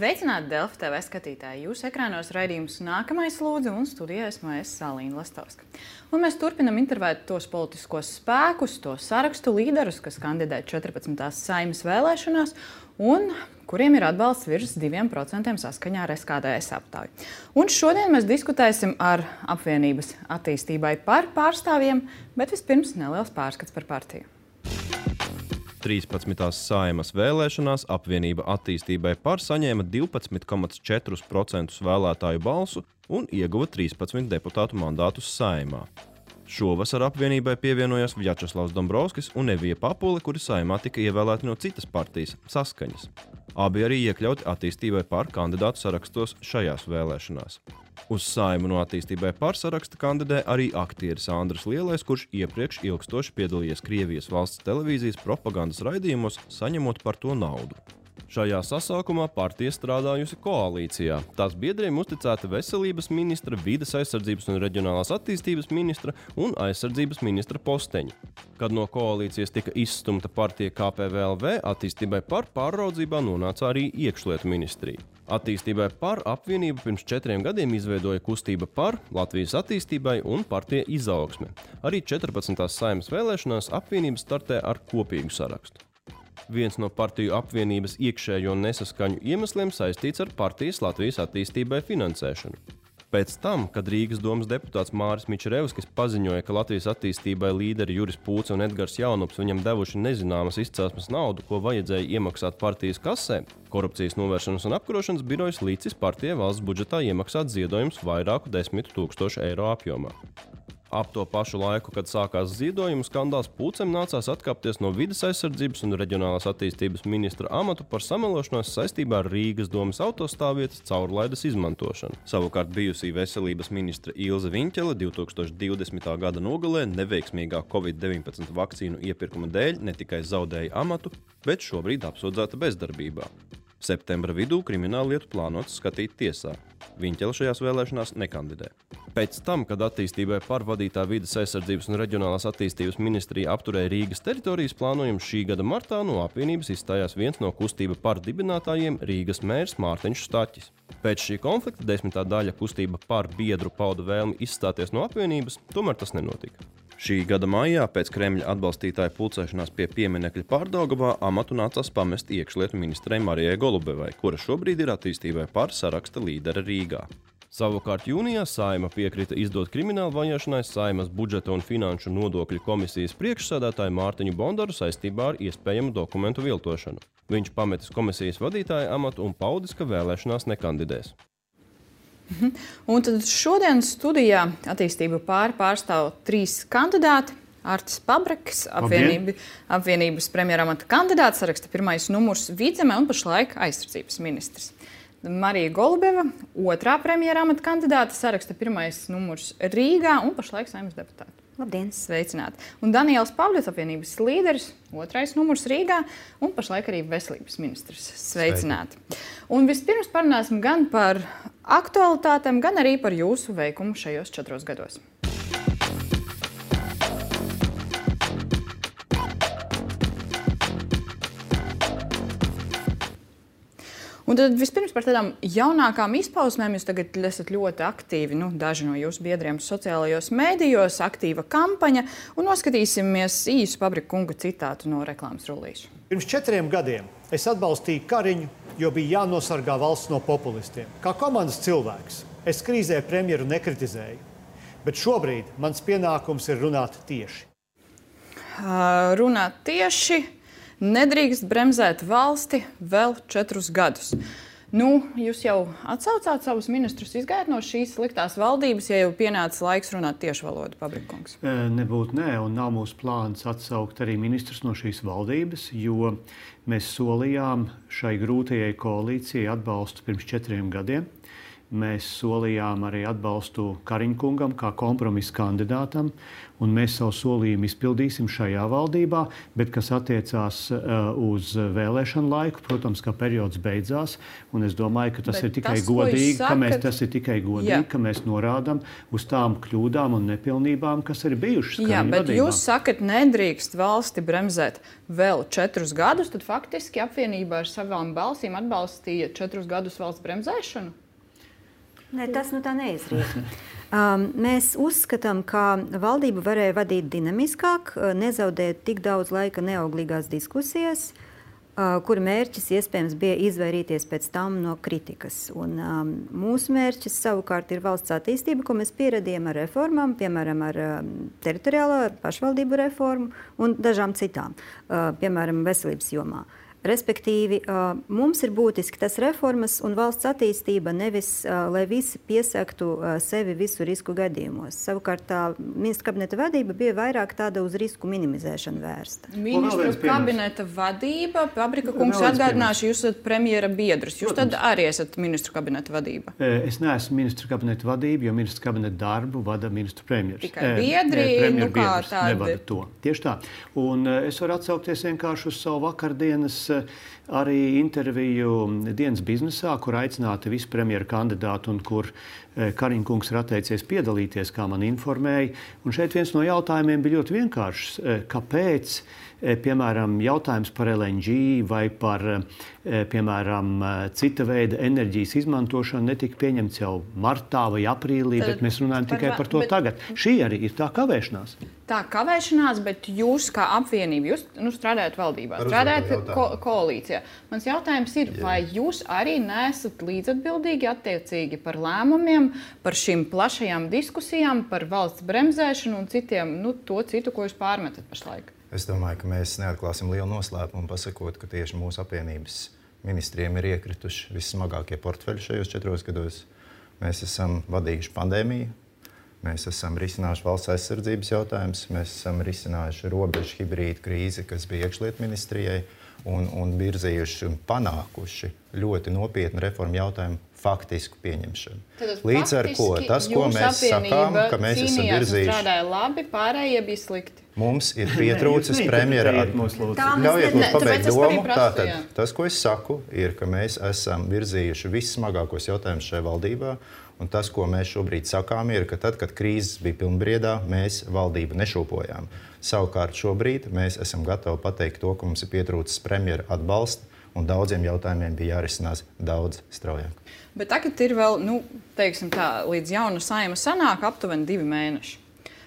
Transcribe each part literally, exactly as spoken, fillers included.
Sveicināti Delfi T V skatītāji! Jūsu ekrānos raidījums Nākamais lūdzu un studijā esmu es Salīna Lastovska. Un mēs turpinam intervēt tos politiskos spēkus, to sarakstu līderus, kas kandidē četrpadsmitās Saeimas vēlēšanās un kuriem ir atbalsts virs diviem procentiem saskaņā ar S K D S aptauju. Un šodien mēs diskutēsim ar apvienības attīstībai par pārstāvjiem, bet vispirms neliels pārskats par partiju. trīspadsmitās Saeimas vēlēšanās apvienība attīstībai par saņēma divpadsmit komats četri procenti vēlētāju balsu un ieguva trīspadsmit deputātu mandātus Saeimā. Šovasar apvienībai pievienojās Vjačeslavs Dombrovskis un Evija Papule, kuri Saeimā tika ievēlēti no citas partijas Saskaņas. Abi arī iekļauti attīstībai par kandidātu sarakstos šajās vēlēšanās. Uz Saeimu no attīstībai par saraksta kandidē arī aktieris Andris Lielais, kurš iepriekš ilgstoši piedalījies Krievijas valsts televīzijas propagandas raidījumos, saņemot par to naudu. Šajā sasaukumā partija strādājusi koalīcijā. Tās biedriem uzticēta veselības ministra, vides aizsardzības un reģionālās attīstības ministra un aizsardzības ministra posteņi. Kad no koalīcijas tika izstumta partija K P V L V, attīstībai par pārraudzībā nonāca arī iekšlietu ministrija. Attīstībai par apvienību pirms četriem gadiem izveidoja kustība par Latvijas attīstībai un partija Izaugsme. Arī četrpadsmitās Saeimas vēlēšanās apvienība startē ar kopīgu sarakstu. Viens no partiju apvienības iekšējo nesaskaņu iemesliem saistīts ar partijas Latvijas attīstībai finansēšanu. Pēc tam, kad Rīgas domas deputāts Māris Mičerevskis paziņoja, ka Latvijas attīstībai līderi Juris Pūce un Edgars Jaunups viņam devuši nezināmas izcelsmes naudu, ko vajadzēja iemaksāt partijas kasē, Korupcijas novēršanas un apkarošanas birojas licis partijai valsts budžetā iemaksāt ziedojumus vairāku desmitu tūkstošu eiro apjomā. Ap to pašu laiku, kad sākās ziedojumu skandāls, Pūcem nācās atkāpties no vides aizsardzības un reģionālās attīstības ministra amatu par samelošanos saistībā ar Rīgas domas autostāvvietas caurlaides izmantošanu. Savukārt bijusī veselības ministra Ilze Viņķele divtūkstoš divdesmitā gada nogalē neveiksmīgā covid deviņpadsmit vakcīnu iepirkuma dēļ ne tikai zaudēja amatu, bet šobrīd apsūdzēta bezdarbībā. Septembra vidū krimināllietu plānots skatīt tiesā. Viņķele šajās vēlēšanās nekandidē. Pēc tam, kad attīstībai par vadītā vides aizsardzības un reģionālās attīstības ministrija apturēja Rīgas teritorijas plānojumu, šī gada martā no apvienības izstājās viens no kustība par dibinātājiem Rīgas mērs Mārtiņš Staķis. Pēc šī konflikta desmitā daļa kustība par biedru pauda vēlmi izstāties no apvienības, tomēr tas nenotika. Šī gada maijā pēc Kremļa atbalstītāju pulcēšanās pie pieminekļa Pārdaugavā amatu nācās pamest iekšlietu ministrei Marijai Golubevai, kura šobrīd ir attīstībai par saraksta līdere Rīgā. Savukārt jūnijā Saeima piekrita izdot kriminālu vajāšanai Saeimas budžeta un finanšu nodokļu komisijas priekšsēdētāju Mārtiņu Bondaru saistībā ar iespējamu dokumentu viltošanu. Viņš pametis komisijas vadītāja amatu un paudis, ka vēlēšanās nekandidēs. Un tad šodien studijā attīstību pār pārstāv trīs kandidāti. Artis Pabrekis, apvienība, apvienības premjeramata kandidāts, saraksta pirmais numurs Vidzemē un pašlaik aizsardzības ministrs. Marija Golubeva, otrā premjeramata kandidāta, saraksta pirmais numurs Rīgā un pašlaik Saeimas deputāta. Labdien! Sveicināti! Un Daniels Pavļots, apvienības līderis, otrais numurs Rīgā un pašlaik arī veselības ministrs. Sveicināti! Sveiki. Un vispirms parunāsim gan par aktualitātēm, gan arī par jūsu veikumu šajos četros gados. Un tad vispirms par tādām jaunākām izpausmēm. Jūs tagad esat ļoti aktīvi, nu, daži no jūsu biedriem sociālajos mēdījos, aktīva kampaņa, un noskatīsimies īsu Pabrika kunga citātu no reklāmas rullīša. Pirms četriem gadiem es atbalstīju Kariņu, jo bija jānosargā valsts no populistiem. Kā komandas cilvēks, es krīzē premjeru nekritizēju, bet šobrīd mans pienākums ir runāt tieši. Uh, runāt tieši... Nedrīkst bremzēt valsti vēl četrus gadus. Nu, jūs jau atsaucāt savus ministrus, izgājāt no šīs sliktās valdības, ja jau pienāca laiks runāt tieši valodu, Pabrika kungs? Nebūtu nē, un nav mūsu plāns atsaukt arī ministrus no šīs valdības, jo mēs solījām šai grūtajai koalīcijai atbalstu pirms četriem gadiem. mēs solījām arī atbalstu Kariņkungam kā kompromisa kandidātam, un mēs savu solījumu izpildīsim šajā valdībā, bet kas attiecās uh, uz vēlēšanu laiku, protams, ka periods beidzās, un es domāju, ka tas bet ir tikai tas, godīgi, sakat... ka mēs, tas ir tikai godīgi, Jā. ka mēs norādām uz tām kļūdām un nepilnībām, kas ir bijušas. Jā, bet vadībā. Jūs sakat, nedrīkst valsti bremzēt vēl četrus gadus, tad faktiski apvienībā ar savām balsīm atbalstīja četrus gadus valsts bremzēšanu? Ne, tas nu tā neizriet. Um, mēs uzskatām, ka valdība varēja vadīt dinamiskāk, nezaudēt tik daudz laika neauglīgās diskusijas, uh, kura mērķis iespējams bija izvairīties pēc tam no kritikas. Un, um, mūsu mērķis savukārt ir valsts attīstība, ko mēs pieredzējām ar reformām, piemēram, ar um, teritoriālo ar pašvaldību reformu un dažām citām, uh, piemēram, veselības jomā. Respektīvi, mums ir būtiski tas reformas un valsts attīstība, nevis, lai visi piesaktu sevi visu risku gadījumos. Savukārt tā ministra kabineta vadība bija vairāk tāda uz risku minimizēšanu vērsta. Ministru kabineta vadība, Pabrika kungs, atgādināšu, jūs esat premjera biedrs. Jūs Protams. Tad arī esat ministru kabineta vadība. Es neesmu ministru kabineta vadība, jo ministru kabineta darbu vada ministru premjers. Tikai biedri, e, nu kā tādi. Nevada to. Tieši tā. Un es varu atsaukties vienkārši uz savu vakardienas arī interviju dienas biznesā, kur aicināti visi premjera kandidāti un kur Kariņkungs ir atteicies piedalīties, kā man informēja. Un šeit viens no jautājumiem bija ļoti vienkāršs. Kāpēc, piemēram, jautājums par L N G vai par, piemēram, cita veida enerģijas izmantošanu netika pieņemts jau martā vai aprīlī, Tad, bet mēs runājam par, tikai par to bet, tagad. Šī arī ir tā kavēšanās. Tā kavēšanās, bet jūs kā apvienība, jūs nu, strādājat valdībā, strādājat ko koalīcijā. Mans jautājums ir, Jā. vai jūs arī neesat līdzatbildīgi attiecīgi par lēmumiem, par šīm plašajām diskusijām, par valsts bremzēšanu un citiem, nu, to citu, ko jūs pārmetat pašlaik? Es domāju, ka mēs neatklāsim lielu noslēpumu, pasakot, ka tieši mūsu apvienības ministriem ir iekrituši vissmagākie portfeļi šajos četros gados. Mēs esam vadījuši pandēmiju, mēs esam risinājuši valsts aizsardzības jautājumus, mēs esam risinājuši robežu hibrīdu krīzi, kas bija iekšlietu ministrijai, un, un virzījuši un panākuši ļoti nopietnu reformu jautājumu faktisku pieņemšanu. Tad, Līdz ar ko tas, ko mēs sakām, ka mēs esam virzījuši... strādāja labi, pārējie bija slikti. Mums ir pietrūcis premjera... Ļaujiet mums pabeigt domu. Tātad, tas, ko es saku, ir, ka mēs esam virzījuši vissmagākos jautājumus šajā valdībā, un tas, ko mēs šobrīd sakām, ir, ka tad, kad krīzes bija pilnbriedā, mēs valdību nešūpojām. Savukārt šobrīd mēs esam gatavi pateikt to, ka mums ir pietrūcis premjera atbalsta, un daudziem jautājumiem bija jārisinās daudz straujāk. Bet tagad ir vēl, nu, teiksim tā, līdz jauna saima sanāk aptuveni divi mēneši.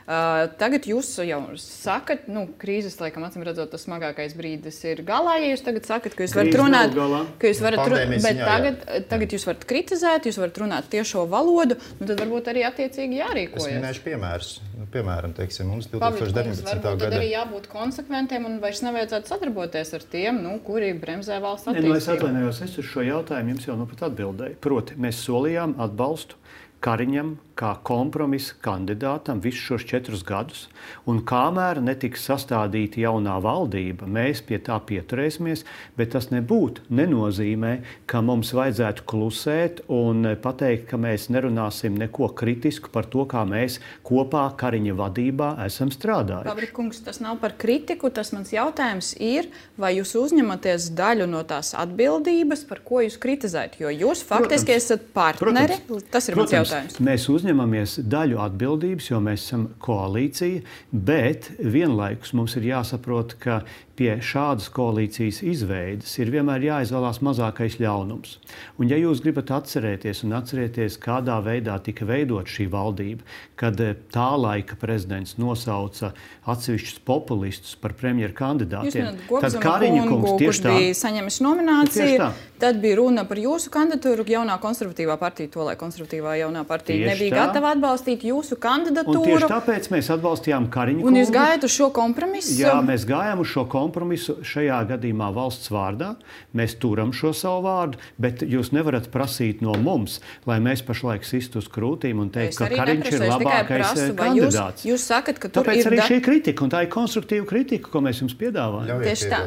Uh, tagad jūs jau sakat, nu, krīzes, laikam, acīm redzot, tas smagākais brīdis ir galā, ja jūs tagad sakat, ka jūs varat runāt, ka jūs varat runāt, bet tagad, tagad jūs varat kritizēt, jūs varat runāt tiešo valodu, nu, tad varbūt arī attiecīgi jārīkojas. Es minēšu piemērus. Nu, piemēram, teiksim, mums divtūkstoš deviņpadsmitā gada... Varbūt tad arī jābūt konsekventiem un vairs nevajadzētu sadarboties ar tiem, nu, kuri bremzē valsts attīstību. Ne, nu, es atvainojos, es uz šo jautājumu jums jau nu pat atbildēju. Proti, mēs solījām atbalstu Kariņam kā kompromisa kandidātam visus šos četrus gadus, un kamēr netiks sastādīta jaunā valdība, mēs pie tā pieturēsimies, bet tas nebūtu, nenozīmē, ka mums vajadzētu klusēt un pateikt, ka mēs nerunāsim neko kritisku par to, kā mēs kopā Kariņa vadībā esam strādājuši. Pabrika kungs, tas nav par kritiku, tas mans jautājums ir, vai jūs uzņematies daļu no tās atbildības, par ko jūs kritizējat, jo jūs faktiski protams, esat partneri, protams, tas ir protams, mans jautājums. Mēs uzņemamies daļu atbildības, jo mēs esam koalīcija, bet vienlaikus mums ir jāsaprot, ka pie šādas koalīcijas izveides ir vienmēr jāizvēlās mazākais ļaunums. Un ja jūs gribat atcerēties un atcerēties, kādā veidā tika veidot šī valdība, kad tā laika prezidents nosauca atsevišķus populistus par premjeru kandidātiem, tad Kariņkungs tieši tā bija saņemis nomināciju, tad bija runa par jūsu kandidatūru, jaunā konservatīvā partija, to lai konservatīvā jaunā partija nebija gatava atbalstīt jūsu kandidatūru. Un tieši tāpēc mēs atbalstījām Kariņu kungu. Un jūs gājat uz šo kompromisu? Jā, mēs gājām uz šo kompromisu šajā gadījumā valsts vārdā. Mēs turam šo savu vārdu, bet jūs nevarat prasīt no mums, lai mēs pašlaik sistu uz krūtīm un teikt, ka Kariņš ir labākais prasu, kandidāts. Jūs, jūs sakat, ka tur Tāpēc ir arī da... šī kritika, un tā ir konstruktīva kritika, ko mēs jums piedāvājam. Tieši tā.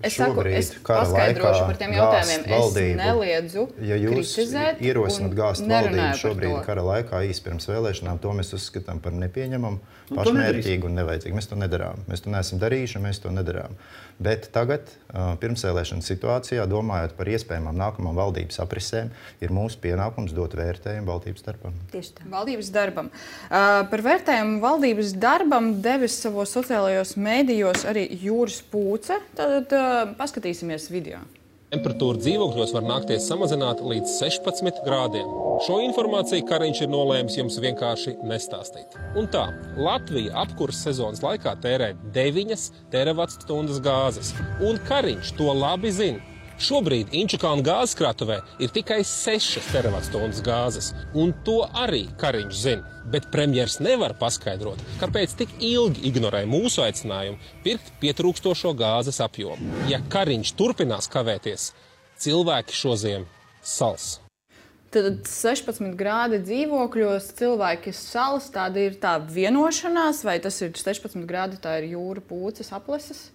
Es saku, es paskaidrošu par tiem jautājumiem. Es neliedzu ja jūs kritizēt ierosināt gāzt valdību šobrīd to. kara laikā īsi pirms vēlēšanām, to mēs uzskatām par nepieņemamu, pašmērķīgu un nevajadzīgu. Mēs to nedarām. Mēs to neesam darījuši, mēs to nedarām. Bet tagad, pirmsvēlēšana situācijā, domājot par iespējamām nākamām valdības aprisēm, ir mūsu pienākums dot vērtējumu valdības darbam. Tieši tā. Valdības darbam. Uh, par vērtējumu valdības darbam devis savos sociālajos mēdījos arī Jūras Pūce. Tad uh, paskatīsimies video. Temperatūra dzīvokļos var nākties samazināt līdz sešpadsmit grādiem. Šo informāciju Kariņš ir nolēmis jums vienkārši nestāstīt. Un tā, Latvija apkurses sezonas laikā tērē deviņas terawatstundas gāzes. Un Kariņš to labi zina. Šobrīd Inčukalna gāzes krātuvē ir tikai sešas terawatstundas gāzes. Un to arī Kariņš zina. Bet premjers nevar paskaidrot, kāpēc tik ilgi ignorē mūsu aicinājumu pirkt pietrūkstošo gāzes apjomu. Ja Kariņš turpinās kavēties, cilvēki šoziem sals. Tad sešpadsmit grādi dzīvokļos, cilvēki salas, tāda ir tā vienošanās, vai tas ir sešpadsmit grādi, tā ir Jūra Pūces apleses?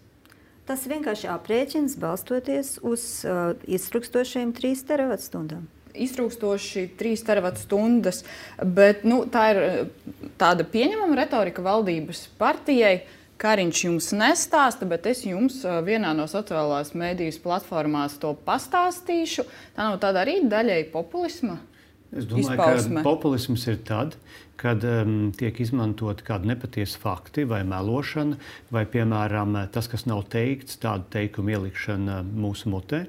Tas vienkārši aprēķins balstoties uz uh, iztrukstošiem trīs teravatstundām. Iztrūkstoši trīs terawatstundas, bet nu, tā ir tāda pieņemama retorika valdības partijai. Kariņš jums nestāsta, bet es jums vienā no sociālās mēdīs platformās to pastāstīšu. Tā nav tāda arī daļai populisma Es domāju, izpausme. ka populisms ir tad, kad um, tiek izmantot kādi nepatiesi fakti vai melošana, vai, piemēram, tas, kas nav teikts, tādu teikumu ielikšana mūsu mutē.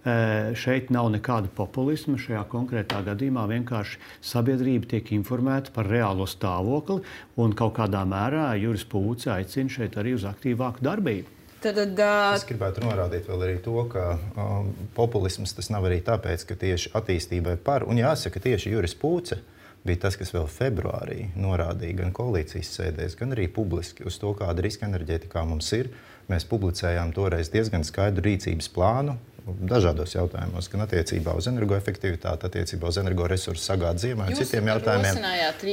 Uh, šeit nav nekāda populisma. Šajā konkrētā gadījumā vienkārši sabiedrība tiek informēta par reālo stāvokli, un kaut kādā mērā Jūras Pūce aicina šeit arī uz aktīvāku darbību. Tad, uh, Es gribētu norādīt vēl arī to, ka um, populisms tas nav arī tāpēc, ka tieši attīstībai par, un jāsaka, tieši Jūras Pūce bija tas, kas vēl februārī norādīja gan koalīcijas sēdēs, gan arī publiski uz to, kāda riska enerģētikā mums ir. Mēs publicējām toreiz diezgan skaidru rīcības plānu dažādos jautājumos, gan attiecībā uz energoefektivitāti, attiecībā uz energoresursu sagādi ziemē un citiem jautājumiem.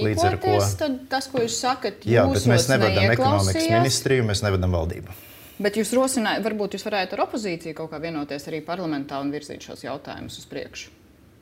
Līdz ar ko tad tas, ko jūs sakat, Jā, bet mēs nevedam ekonomikas neieklausījās. ministriju, mēs nevedam valdību. Bet jūs rosinājāt, varbūt jūs varētu ar opozīciju kaut kā vienoties arī parlamentā un virzīt šos jautājumus uz priekšu.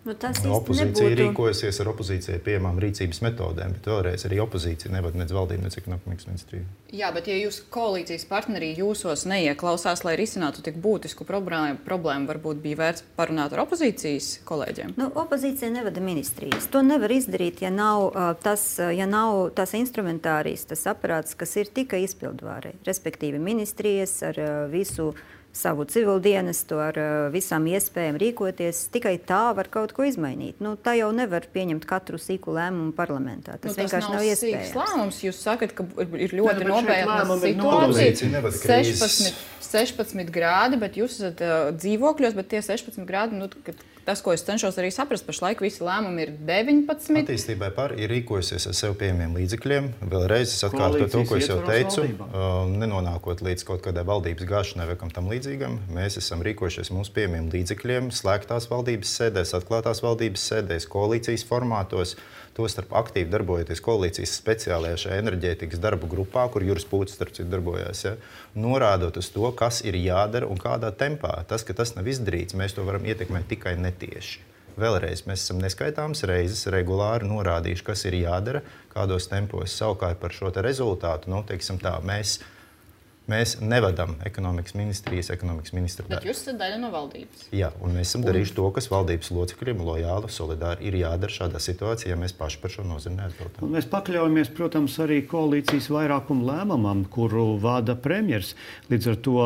Nu, tas No, īsti opozīcija nebūtu. rīkojasies ar opozīcijai pieejamām rīcības metodēm, bet vēlreiz arī opozīcija nevada nec valdību, nec ekonomikas ministriju. Jā, bet ja jūs koalīcijas partnerī jūsos neieklausās, lai risinātu tik būtisku problēmu, problēmu varbūt bija vērts parunāt ar opozīcijas kolēģiem? Nu, opozīcija nevada ministrijas. To nevar izdarīt, ja nav, uh, tas, uh, ja nav tas instrumentārijas, tas aparāts, kas ir tikai izpildvārei. Respektīvi ministrijas ar uh, visu savu civildienestu, ar uh, visām iespējām rīkoties. Tikai tā var kaut ko izmainīt. Nu, tā jau nevar pieņemt katru sīku lēmumu parlamentā. Tas, Nu, vienkārši nav, nav iespējams. sīks lēmums. Jūs sakat, ka ir ļoti bet šeit nopietna lēmumi ir situācija. Opozīcija nevada krīzes. sešpadsmit, sešpadsmit grādi, bet jūs esat uh, dzīvokļos, bet tie sešpadsmit grādi, nu, tas, ko es cenšos arī saprast, pašlaik visi lēmumi ir deviņpadsmit. Attīstībai par ir rīkojusies ar sev pieejamiem līdzekļiem. Vēlreiz es atkārtoju to, ko es jau teicu, uh, nenonākot līdz kaut kādai valdības gāšanai vai kam tam līdzīgam. Mēs esam rīkojušies mūsu pieejamiem līdzekļiem, slēgtās valdības sēdēs, atklātās valdības sēdēs, koalīcijas formātos. Tostarp aktīvi darbojoties koalīcijas speciālajā šajā enerģētikas darbu grupā, kur Jūras Pūce starp citu darbojās, ja, norādot uz to, kas ir jādara un kādā tempā. Tas, ka tas nav izdarīts, mēs to varam ietekmēt tikai netieši. Vēlreiz mēs esam neskaitāmas reizes regulāri norādījuši, kas ir jādara, kādos tempos. Savukārt par šo te rezultātu, nu, teiksim tā, mēs, mēs nevadam ekonomikas ministrijas, ekonomikas ministra Bet darbu. jūs esat daļa no valdības. Jā, un mēs esam darījuši to, kas valdības locekļiem lojāli, solidāri ir jādara šādā situācijā, ja mēs paši par šo nozīmi neatbildam. Un mēs pakļaujamies, protams, arī koalīcijas vairākumu lēmumam, kuru vada premjers. Līdz ar to,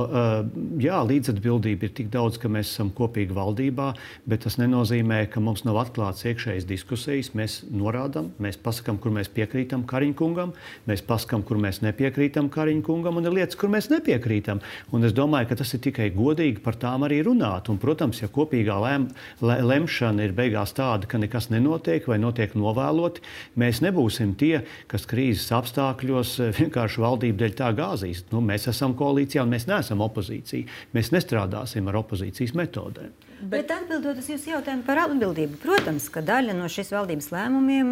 jā, līdzatbildība ir tik daudz, ka mēs esam kopīgi valdībā, bet tas nenozīmē, ka mums nav atklāts iekšējas diskusijas. Mēs norādām, mēs pasakām, kur mēs piekrītam Kariņkungam, mēs pasakām, kur mēs nepiekrītam Kariņkungam, un ir lietas kur mēs nepiekrītam. Un es domāju, ka tas ir tikai godīgi par tām arī runāt. Un, protams, ja kopīgā lem, le, lemšana ir beigās tāda, ka nekas nenotiek vai notiek novēloti, mēs nebūsim tie, kas krīzes apstākļos vienkārši valdību dēļ tā gāzīs. Nu, mēs esam koalīcijā un mēs neesam opozīcija. Mēs nestrādāsim ar opozīcijas metodēm. Bet, Bet atbildot uz jūsu jautājumu par atbildību, protams, ka daļa no šīs valdības lēmumiem,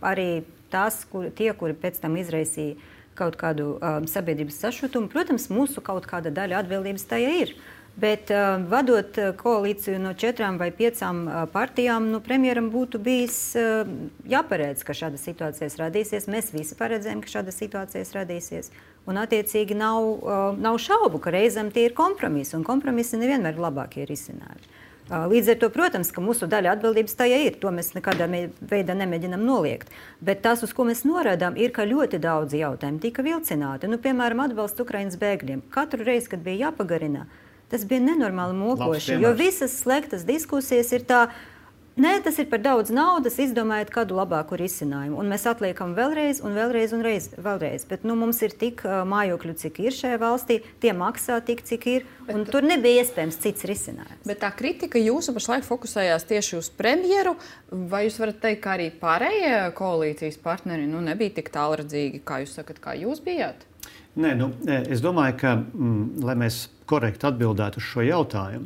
arī tās, kur, tie, kuri pēc tam izraisīja kaut kādu um, sabiedrības sašutumu, protams, mūsu kaut kāda daļa atbildības tajā ir. Bet uh, vadot koalīciju no četrām vai piecām uh, partijām, nu, premjeram būtu bijis uh, jāparedz, ka šādas situācijas radīsies. Mēs visi paredzējām, ka šādas situācijas radīsies. Un, attiecīgi, nav, uh, nav šaubu, ka reizēm tie ir kompromisi, un kompromisi nevienmēr ir labākie risinājumi. Uh, līdz ar to, protams, ka mūsu daļa atbildības tajā ir. To mēs nekādā veidā nemēģinām noliegt. Bet tas, uz ko mēs norādām, ir, ka ļoti daudz jautājumu tika vilcināti. Nu, piemēram, atbalsts Ukrainas bēgļiem. Katru reizi, kad bija jāpagarina, tas bija nenormāli mokoši, jo visas slēgtas diskusijas ir tā, nē, tas ir par daudz naudas, izdomājiet kādu labāku risinājumu. Un mēs atliekam vēlreiz un vēlreiz un reiz, vēlreiz. Bet nu, mums ir tik uh, mājokļu, cik ir šajā valstī, tie maksā tik, cik ir, un bet, tur nebija iespējams cits risinājums. Bet tā kritika jūsu pašlaik fokusējās tieši uz premjeru, vai jūs varat teikt, ka arī pārējie koalīcijas partneri nu, nebija tik tālredzīgi, kā jūs sakat, kā jūs bijāt? Nē, nu, es domāju, ka, mm, lai mēs korekti atbildētu uz šo jautājumu,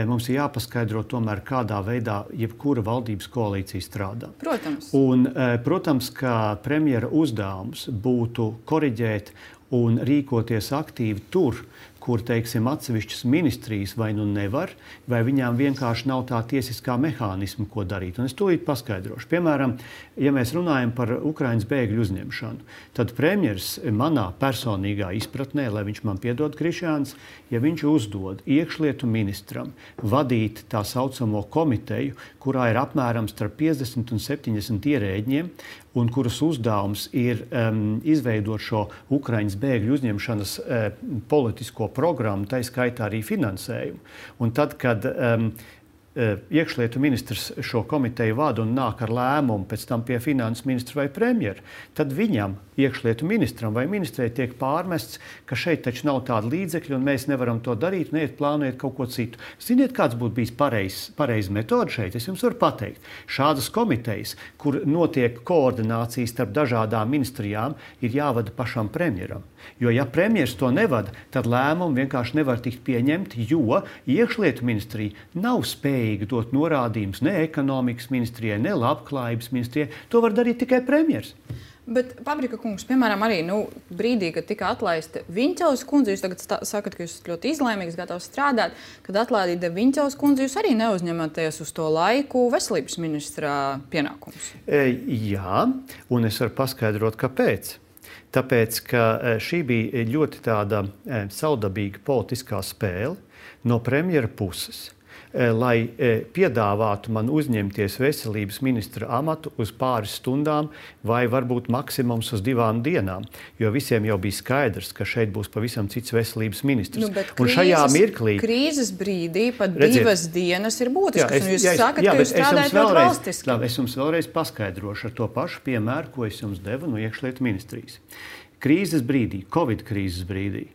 mums ir jāpaskaidro tomēr, kādā veidā jebkura valdības koalīcija strādā. Protams. Un, protams, ka premjera uzdevums būtu koriģēt un rīkoties aktīvi tur, kur, teiksim, atsevišķas ministrijas vai nu nevar, vai viņām vienkārši nav tā tiesiskā mehānisma, ko darīt. Un es tūlīt paskaidrošu. Piemēram, ja mēs runājam par Ukrainas bēgļu uzņemšanu, tad premjers manā personīgā izpratnē, lai viņš man piedod Krišjāns, ja viņš uzdod iekšlietu ministram vadīt tā saucamo komiteju, kurā ir apmēram starp piecdesmit un septiņdesmit ierēģiem, un kuras uzdevums ir um, izveidot šo Ukrainas bēgļu uzņemšanas uh, politisko programmu, tā skaitā arī finansējumu. Un tad, kad um, iekšlietu ministrs šo komiteju vada un nāk ar lēmumu pēc tam pie finanses ministra vai premjera, tad viņam, iekšlietu ministram vai ministrei, tiek pārmests, ka šeit taču nav tāda līdzekļa un mēs nevaram to darīt, neiet plānojot kaut ko citu. Ziniet, kāds būtu bijis pareizs pareiz metode šeit? Es jums varu pateikt. Šādas komitejas, kur notiek koordinācijas starp dažādām ministrijām, ir jāvada pašam premjeram. Jo, ja premjers to nevada, tad lēmumi vienkārši nevar tikt pieņemti, jo iekšlietu ministrija nav spējīga dot norādījumus ne ekonomikas ministrijai, ne labklājības ministrijai. To var darīt tikai premjers. Bet, Pabrika kungs, piemēram, arī nu, brīdī, kad tika atlaista Viņķeles kundze, jūs tagad stā, sakat, ka jūs esat ļoti izlēmīgs, gatavs strādāt, kad atlaida Viņķeles kundze, jūs arī neuzņematies uz to laiku veselības ministra pienākumus. E, jā, un es varu paskaidrot, kāpēc. Tāpēc, ka šī bija ļoti tāda saudabīga politiskā spēle no premjera puses, lai piedāvātu man uzņemties veselības ministra amatu uz pāris stundām vai varbūt maksimums uz divām dienām, jo visiem jau bija skaidrs, ka šeit būs pavisam cits veselības ministrs. Nu, un krīzes, šajā mirklī... Krīzes brīdī pat redziet, divas dienas ir būtiskas, jā, es, un jūs jā, es, sakat, jā, ka jūs strādājat ļoti valstiski. Labi, es jums vēlreiz paskaidrošu ar to pašu piemēru, ko es jums devu no iekšlietu ministrijas. Krīzes brīdī, Covid krīzes brīdī,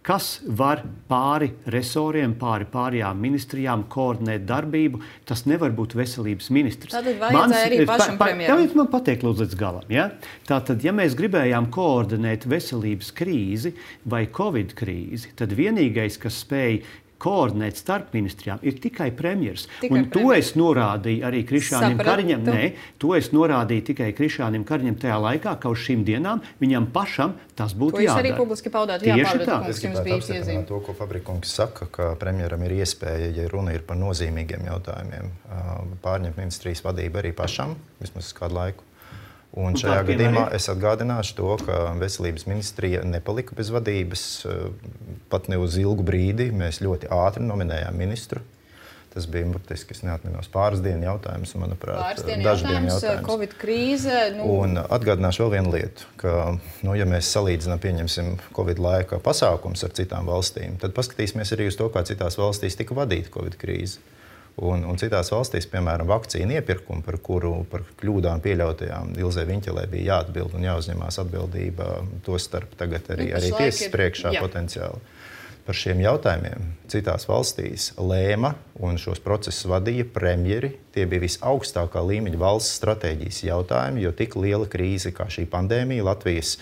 kas var pāri resoriem, pāri pārējām ministrijām koordinēt darbību, tas nevar būt veselības ministrs. Tātad vajadzēja arī pašam pa, pa, premjeram. Tāpēc man pateikt lūdzu līdz galam. Ja? Tātad, ja mēs gribējām koordinēt veselības krīzi vai Covid krīzi, tad vienīgais, kas spēj koordinēt starp ministrijām, ir tikai premjers. Tikai un to premjers. es norādīju arī Krišjānim Sapratu. Kariņam. Nē, to es norādīju tikai Krišjānim Kariņam tajā laikā, ka uz šīm dienām viņam pašam tas būtu jādara. To jūs arī publiski paudāt. Tieši Jā, Pavrika tā. kungs, Es jums gribētu bija apstiprināt iezīme. to, ko Fabrikungs saka, ka premjeram ir iespēja, ja runa ir par nozīmīgiem jautājumiem, pārņemt ministrijas vadību arī pašam, vismaz kādu laiku. Un Un šajā tā, gadījumā piemēram, es atgādināšu to, ka veselības ministrija nepalika bez vadības pat ne uz ilgu brīdi. Mēs ļoti ātri nominējām ministru. Tas bija burtiski, es neatminos, pāris dienu jautājums, manuprāt, Pāris dienu dažu dienu jautājums, jautājums. Covid krīze. Nu... Un atgādināšu vēl vienu lietu, ka, nu, ja mēs salīdzinām, pieņemsim Covid laika pasākums ar citām valstīm, tad paskatīsimies arī uz to, kā citās valstīs tika vadīta Covid krīze. Un, un citās valstīs, piemēram, vakcīnu iepirkumu, par kuru par kļūdām pieļautajām Ilzei Viņķelē bija jāatbild un jāuzņemās atbildība, to starp tagad arī, arī tiesas priekšā jā. Potenciāli. Par šiem jautājumiem citās valstīs lēma un šos procesus vadīja premjeri. Tie bija visaugstākā līmeņa valsts stratēģijas jautājumi, jo tik liela krīze kā šī pandēmija Latvijas,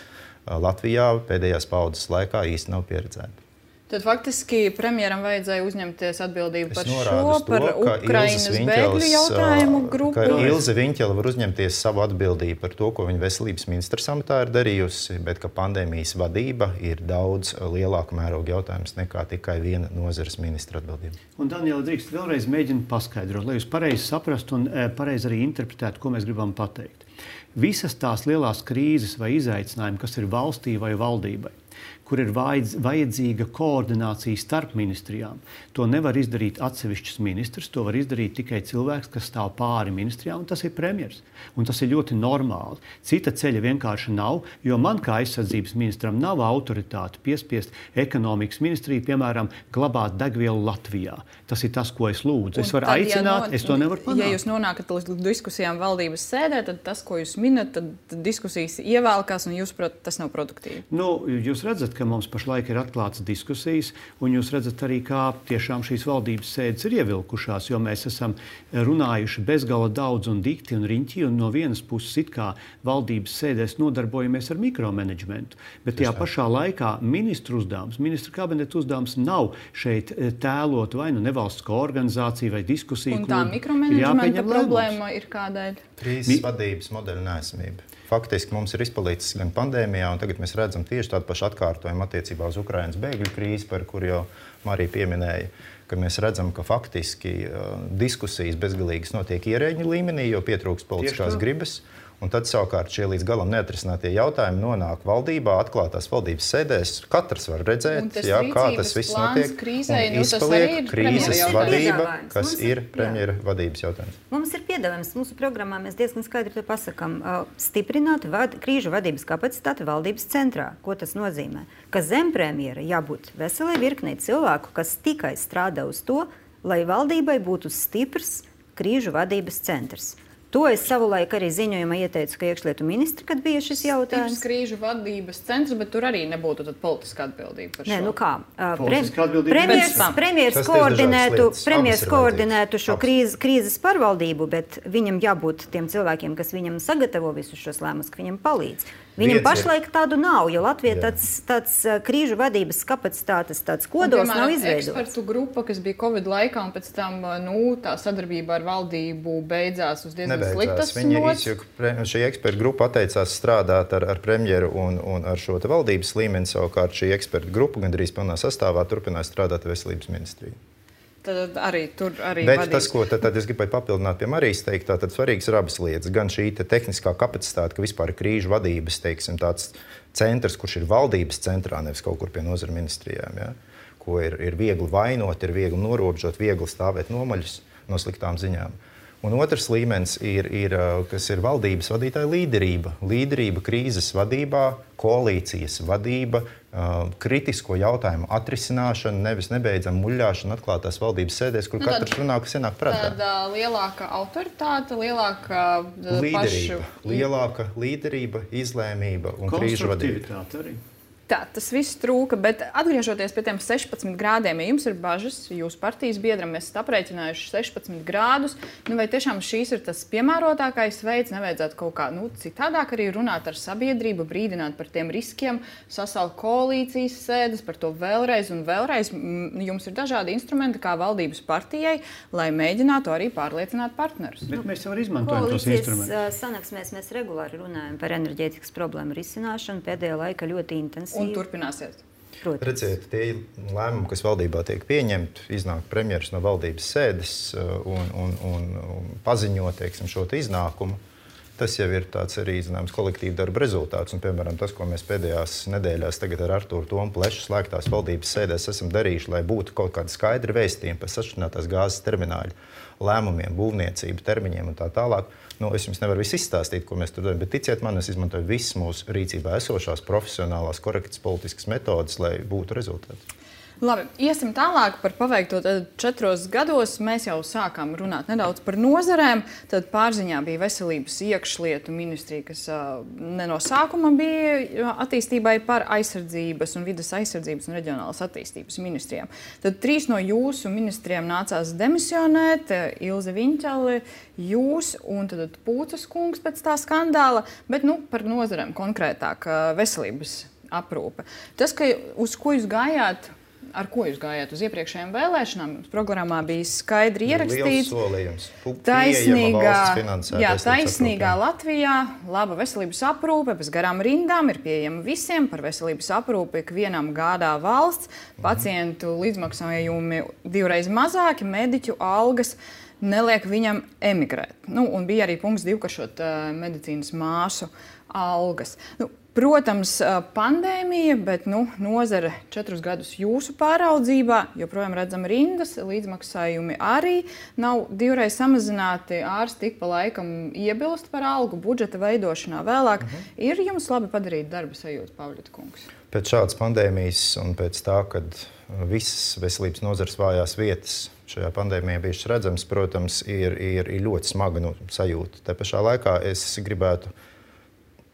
Latvijā pēdējās paudzes laikā īsti nav pieredzēta. Tad faktiski premjeram vajadzēja uzņemties atbildību par šo, to, par Ukrainas bēgļu jautājumu grupu. Ka Ilze Viņķele var uzņemties savu atbildību par to, ko viņa veselības ministrs amatā ir darījusi, bet ka pandēmijas vadība ir daudz lielāka mēroga jautājums nekā tikai viena nozares ministra atbildība. Un Daniela, drīkst vēlreiz mēģināt paskaidrot, lai jūs pareizi saprastu un pareizi arī interpretētu, ko mēs gribam pateikt. Visas tās lielās krīzes vai izaicinājumi, kas ir valstī vai valdībai, kur ir vajadzīga koordinācija starp ministrijām. To nevar izdarīt atsevišķs ministrs, to var izdarīt tikai cilvēks, kas stāv pāri ministrijām, un tas ir premjers. Un tas ir ļoti normāli. Cita ceļa vienkārši nav, jo man kā aizsardzības ministram nav autoritāte piespiest ekonomikas ministriju, piemēram, glabāt degvielu Latvijā. Tas ir tas, ko es lūdzu. Es varu tad, aicināt, ja no, es to nevaru panākt. Ja jūs nonākat līdz diskusijām valdības sēdē, tad tas, ko jūs minat, tad, tad diskusijas ievēlkās, un jūs, prot, tas nav produktīvi. Nu, jūs redzat, ka mums pašlaik ir atklātas diskusijas, un jūs redzat arī, kā tiešām šīs valdības sēdes ir ievilkušās, jo mēs esam runājuši bezgala daudz un dikti un riņķi, un no vienas puses it kā valdības sēdēs nodarbojamies ar mikromanagementu. Bet tajā pašā laikā ministru uzdevums, ministru kabineta uzdevums nav šeit tēlot vai nu nevalstisko organizāciju vai diskusiju. Un tā mikromanagementa problēma ir kādēļ? Krīzes vadības modeļa neesamība. Faktiski mums ir izpalīdzis gan pandēmijā, un tagad mēs redzam tieši tādu pašu atkārtojumu attiecībā uz Ukrainas bēgļu krīzi, par kuru jau Marija pieminēja, ka mēs redzam, ka faktiski uh, diskusijas bezgalīgas notiek ierēģņu līmenī, jo pietrūkst politiskās gribas. Un tad savukārt šie līdz galam neatrisinātie jautājumi nonāk valdībā, atklātās valdības sēdēs. Katrs var redzēt, jā, kā tas viss notiek. Krīzē, un nu, izpaliek krīzes vadība, kas ir premjera vadības jautājums. Mums ir piedāvājums. Mūsu programmā mēs diezgan skaidri to pasakam. Stiprināt vad, krīžu vadības kapacitāti valdības centrā. Ko tas nozīmē? Ka zem premjera jābūt veselai virknei cilvēku, kas tikai strādā uz to, lai valdībai būtu stiprs krīžu vadības centrs. To es savulaik arī ziņojumā ieteicu, ka iekšlietu ministri, kad bija šis jautājums. Stiprs krīžu vadības centrs, bet tur arī nebūtu tad politiska atbildība par šo. Nē, nu kā? Politiska atbildība. Premjers, premjers koordinētu, premjers koordinētu šo krīzes, krīzes pārvaldību, bet viņam jābūt tiem cilvēkiem, kas viņam sagatavo visus šos lēmumus, ka viņam palīdz. Viņam Viens pašlaik ir... tādu nav, jo Latvija tāds, tāds krīžu vadības kapacitātes tāds kodols nav izveidots. Ekspertu grupa, kas bija Covid laikā, un pēc tam nu, tā sadarbība ar valdību beidzās uz diezgan sliktas nots. Šī ekspertu grupa atteicās strādāt ar, ar premjeru un, un ar šo te valdības līmeni, savukārt šī ekspertu grupa gandrīz pilnā sastāvā turpināja strādāt ar veselības ministriju. Tad arī tur arī Bet vadības. tas, ko tad, tad es gribēju papildināt pie Marijas teikt, tad svarīgs ir abas lietas. Gan šī te tehniskā kapacitāte, ka vispār ir krīžu vadības, teiksim, tāds centrs, kurš ir valdības centrā, nevis kaut kur pie nozara ministrijām, ja? Ko ir, ir viegli vainot, ir viegli norobežot, viegli stāvēt nomaļus no sliktām ziņām. Un otrs līmenis ir, ir, kas ir valdības vadītāja līderība. Līderība krīzes vadībā, koalīcijas vadība, kritisko jautājumu atrisināšana, nevis nebeidzam muļļāšana atklātās valdības sēdēs, kur nu, katrs runā, kas ienāk prātā. Tāda lielāka autoritāte, lielāka līderība, pašu... lielāka līderība, izlēmība un krīžu vadība. Arī. Tā, tas viss trūka, bet atgriežoties pie tiem sešpadsmit grādiem, ja jums ir bažas, jūsu partijas biedram mēs esat aprēķinājuši sešpadsmit grādus, nu vai tiešām šīs ir tas piemērotākais veids, nevajadzētu kaut kā nu, citādāk arī runāt ar sabiedrību, brīdināt par tiem riskiem, sasaukt koalīcijas sēdes, par to vēlreiz un vēlreiz. Jums ir dažādi instrumenti kā valdības partijai, lai mēģinātu arī pārliecināt partnerus. Bet mēs jau arī izmantojam tos instrumentus. Koalīcijas sanāksmēs mēs regulāri runājam par enerģētikas problēmu risināšanu, pēdējā laika ļoti intensīvi. Un turpināsiet. Protams. Redziet, tie lēmumi, kas valdībā tiek pieņemti, iznāk premjeras no valdības sēdes un, un, un, un paziņo, teiksim, šo te iznākumu. Tas jau ir tāds arī, zināms, kolektīva darba rezultāts. Un, piemēram, tas, ko mēs pēdējās nedēļās tagad ar Artūru Tomu Plešu slēgtās valdības sēdēs esam darījuši, lai būtu kaut kāda skaidra vēstījuma par sašķidrinātās gāzes termināļu lēmumiem, būvniecību, termiņiem un tā tālāk. Nu, es jums nevaru visu izstāstīt, ko mēs tur darām, bet ticiet man, es izmantoju visas mūsu rīcībā esošās profesionālās, korektas politiskas metodas, lai būtu rezultāts. Labi, iesim tālāk par paveikto. Tad četros gados mēs jau sākām runāt nedaudz par nozarēm. Tad pārziņā bija veselības iekšlietu ministrija, kas uh, ne no sākuma bija attīstībai par aizsardzības un vides aizsardzības un reģionālas attīstības ministrijām. Tad trīs no jūsu ministrijām nācās demisionēt, Ilze Viņķeli, jūs un tad Pūcas kungs pēc tā skandāla, bet nu, par nozarēm konkrētāk veselības aprūpe. Tas, ka uz ko jūs gājāt, ar ko jūs gājāt uz iepriekšējām vēlēšanām? Jums programmā bija skaidri ierakstīts. Liels solījums. Taisnīgā, jā, taisnīgā aprūpē. Latvijā, laba veselības aprūpe, bez garām rindām, ir pieejama visiem. Par veselības aprūpi ikvienam gādā valsts, pacientu līdzmaksājumi divreiz mazāki, mediķu algas neliek viņam emigrēt. Nu, un bija arī punkts divkaršot uh, medicīnas māsu algas. Nu, Protams, pandēmija, bet nu, nozare četrus gadus jūsu pāraudzībā, joprojām redzam rindas, līdzmaksājumi arī nav divreiz samazināti, ārsti tik pa laikam iebilst par algu, budžeta veidošanā vēlāk. Mhm. Ir jums labi padarīt darba sajūta, Pavļata kungs? Pēc šādas pandēmijas un pēc tā, kad visas veselības nozares vājās vietas šajā pandēmijā bijušas redzamas, protams, ir, ir, ir ļoti smaga nu, sajūta. Te pašā laikā es gribētu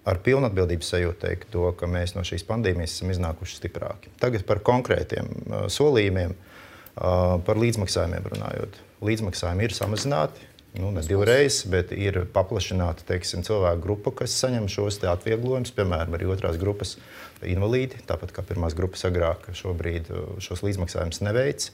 ar pilnatbildības sajūtu teikt to, ka mēs no šīs pandēmijas esam iznākuši stiprāki. Tagad par konkrētiem uh, solījumiem, uh, par līdzmaksājumiem runājot. Līdzmaksājumi ir samazināti, nu, ne divreiz, bet ir paplašināta, teiksim, cilvēku grupa, kas saņem šos te atvieglojumus, piemēram, arī otrās grupas invalīdi, tāpat kā pirmās grupas agrāk šobrīd šos līdzmaksājumus neveic.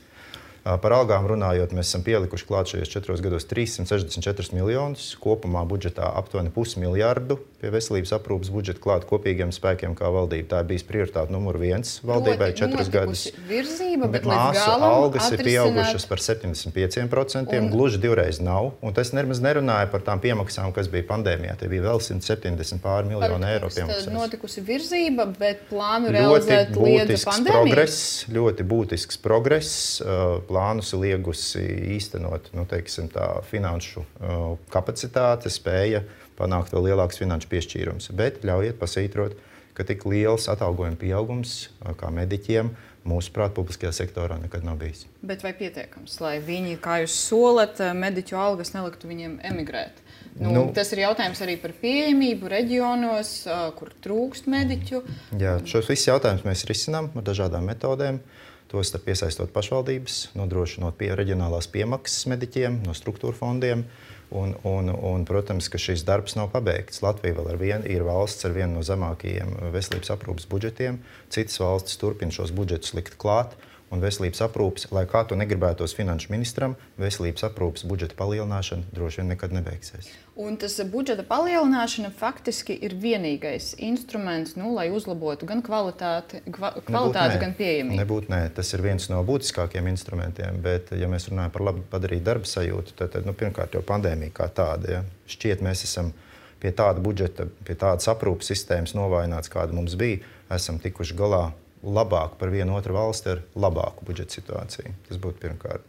Par algām runājot, mēs esam pielikuši klāt šajos četros gados trīssimt sešdesmit četrus miljonus, kopumā budžetā aptuveni pusmiljardu pie veselības aprūpes budžeta klāt kopīgiem spēkiem kā valdība. Tā ir bijis prioritāte numur viens valdībai četrus gadus. Virzība, bet, bet māsu algas atrisināt... ir pieaugušas par septiņdesmit pieciem procentiem, un... gluži divreiz nav. Un tas nemaz nerunāja par tām piemaksām, kas bija pandēmijā. Tie bija vēl simt septiņdesmit pāri miljonu eiro piemaksās. Tad notikusi virzība, bet plānu realizēt liedza pandēmiju? Progress, ļoti būtisks progress. Plānus ir liegusi īstenot, nu, teiksim, tā finanšu uh, kapacitāte, spēja panākt vēl lielāks finanšu piešķīrums. Bet ļaujiet pasvītrot, ka tik liels atalgojuma pieaugums uh, kā mediķiem mūsuprāt publiskajā sektorā nekad nav bijis. Bet vai pietiekams, lai viņi, kā jūs solat, mediķu algas neliktu viņiem emigrēt? Nu, nu, tas ir jautājums arī par pieejamību reģionos, uh, kur trūkst mediķu. Jā, šos visus jautājumus mēs risinām ar dažādām metodēm. Tos piesaistot pašvaldības, nodrošinot pie reģionālās piemaksas mediķiem no struktūra fondiem. Un, un, un, protams, ka šis darbs nav pabeigts. Latvija vēl ar vienu ir valsts ar vienu no zemākajiem veselības aprūpes budžetiem. Citas valstis turpina šos budžetus likt klāt. Un veselības aprūpes, lai kā to negribētos finanšu ministram, veselības aprūpes budžeta palielināšana droši vien nekad nebeigsies. Un tas budžeta palielināšana faktiski ir vienīgais instruments, nu, lai uzlabotu gan kvalitāti, kvalitāti gan pieejamību. Nebūtu nē. Tas ir viens no būtiskākiem instrumentiem, bet, ja mēs runājam par labi padarīt darba sajūtu, tad, tad nu, pirmkārt jau pandēmija kā tāda. Ja? Šķiet, mēs esam pie tāda budžeta, pie tādas aprūpes sistēmas novājināts, kāda mums bija, esam tikuši galā labāk par vienu otru valsti ar labāku budžeta situāciju. Tas būtu pirmkārt.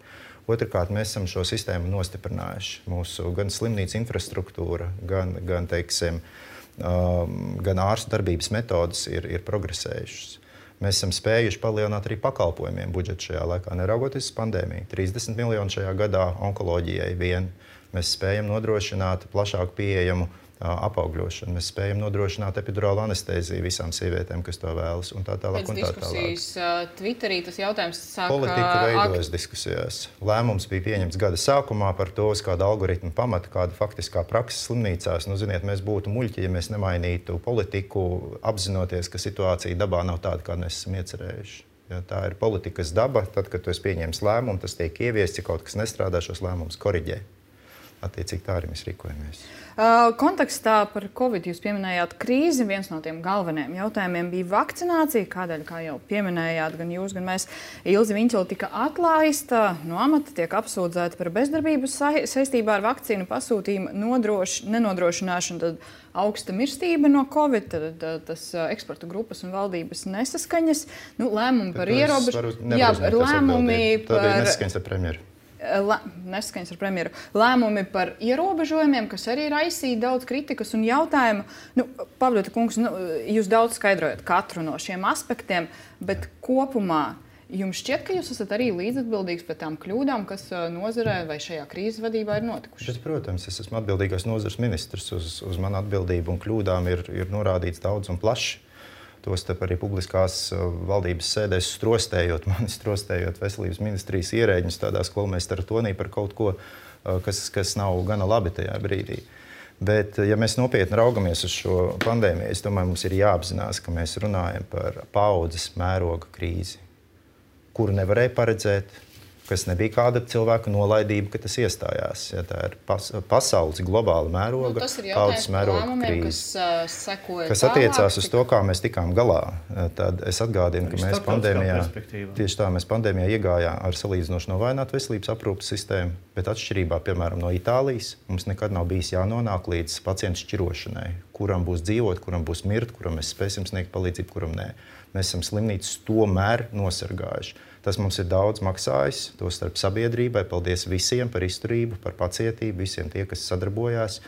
Otrkārt, mēs esam šo sistēmu nostiprinājuši. Mūsu gan slimnīca infrastruktūra, gan, gan, teiksim, um, gan ārstu darbības metodas ir, ir progresējušas. Mēs esam spējuši palielināt arī pakalpojumiem budžetu šajā laikā, neraugoties uz pandēmiju. trīsdesmit miljoni šajā gadā onkoloģijai vien. Mēs spējam nodrošināt plašāku pieejamu apaugļošanu. Mēs spējam nodrošināt epidurālu anestēziju visām sievietēm, kas to vēlas, un tā tālāk. Pēc diskusijas uh, Twitterī tas jautājums sāk... Politika veidojas diskusijās. Lēmums bija pieņemts gada sākumā par to, uz kāda algoritma pamata, kāda faktiskā praksa slimnīcās. Nu, ziniet, mēs būtu muļķi, ja mēs nemainītu politiku, apzinoties, ka situācija dabā nav tāda, kā mēs esam iecerējuši. Ja, tā ir politikas daba. Tad, kad tu esi pieņēmis lēmumu, tas tiek ieviests, ja kaut kas nestrādā, šos lēmumus koriģē. Attiecīgi tā arī mēs rīkojamies. Uh, kontekstā par Covid jūs pieminējāt krīzi. Viens no tiem galvenajiem jautājumiem bija vakcinācija, kādēļ, kā jau pieminējāt, gan jūs, gan mēs, Ilze Viņķele tika atlaista no amata, tiek apsūdzēta par bezdarbību sa saistībā ar vakcīnu pasūtījumu nodroš nenodrošināšanu, tad augsta mirstība no Covid, tad, tad tas eksporta grupas un valdības nesaskaņas, nu, lēmumi par ierobežojumu. Jā, lēmumi par... Tā bija nesaskaņas ar premjeru. Nesaskaņas ar premjeru. Lēmumi par ierobežojumiem, kas arī raisīja daudz kritikas un jautājumu. Nu, Pavļata kungs, nu, jūs daudz skaidrojat katru no šiem aspektiem, bet kopumā Jums šķiet, ka jūs esat arī līdzatbildīgs par tām kļūdām, kas nozarē vai šajā krīzes vadībā ir notikušas? Bet, protams, es esmu atbildīgais nozares ministrs. Uz, uz manu atbildību un kļūdām ir, ir norādīts daudz un plaši. Tostarp arī publiskās valdības sēdēs strostējot, mani strostējot veselības ministrijas ierēģņus tādā skolmeistaru tonī par kaut ko, kas, kas nav gana labi tajā brīdī. Bet, ja mēs nopietni raugamies uz šo pandēmiju, es domāju, mums ir jāapzinās, ka mēs runājam par paaudzes mēroga krīzi, kuru nevarēja paredzēt, kas nebija kāda cilvēka nolaidība, ka tas iestājās. Ja, tā ir pas, pasaules globāla mēroga, nu, tas ir jautājums par lēmumiem, kas uh, sekoja kas attiecās uz to, kā mēs tikām galā. Tad es atgādinu, ka mēs pandēmijā, tieši tā, mēs pandēmijā iegājām ar salīdzinoši novājinātu veselības aprūpes sistēmu, bet atšķirībā, piemēram, no Itālijas, mums nekad nav bijis jānonāk līdz pacientu šķirošanai, kuram būs dzīvot, kuram būs mirt, kuram mēs spēsim sniegt palīdzību, kuram nē. Mēs esam slimnīcas tomēr nosargājuši. Tas mums ir daudz maksājis, tostarp sabiedrībai. Paldies visiem par izturību, par pacietību, visiem tie, kas sadarbojās.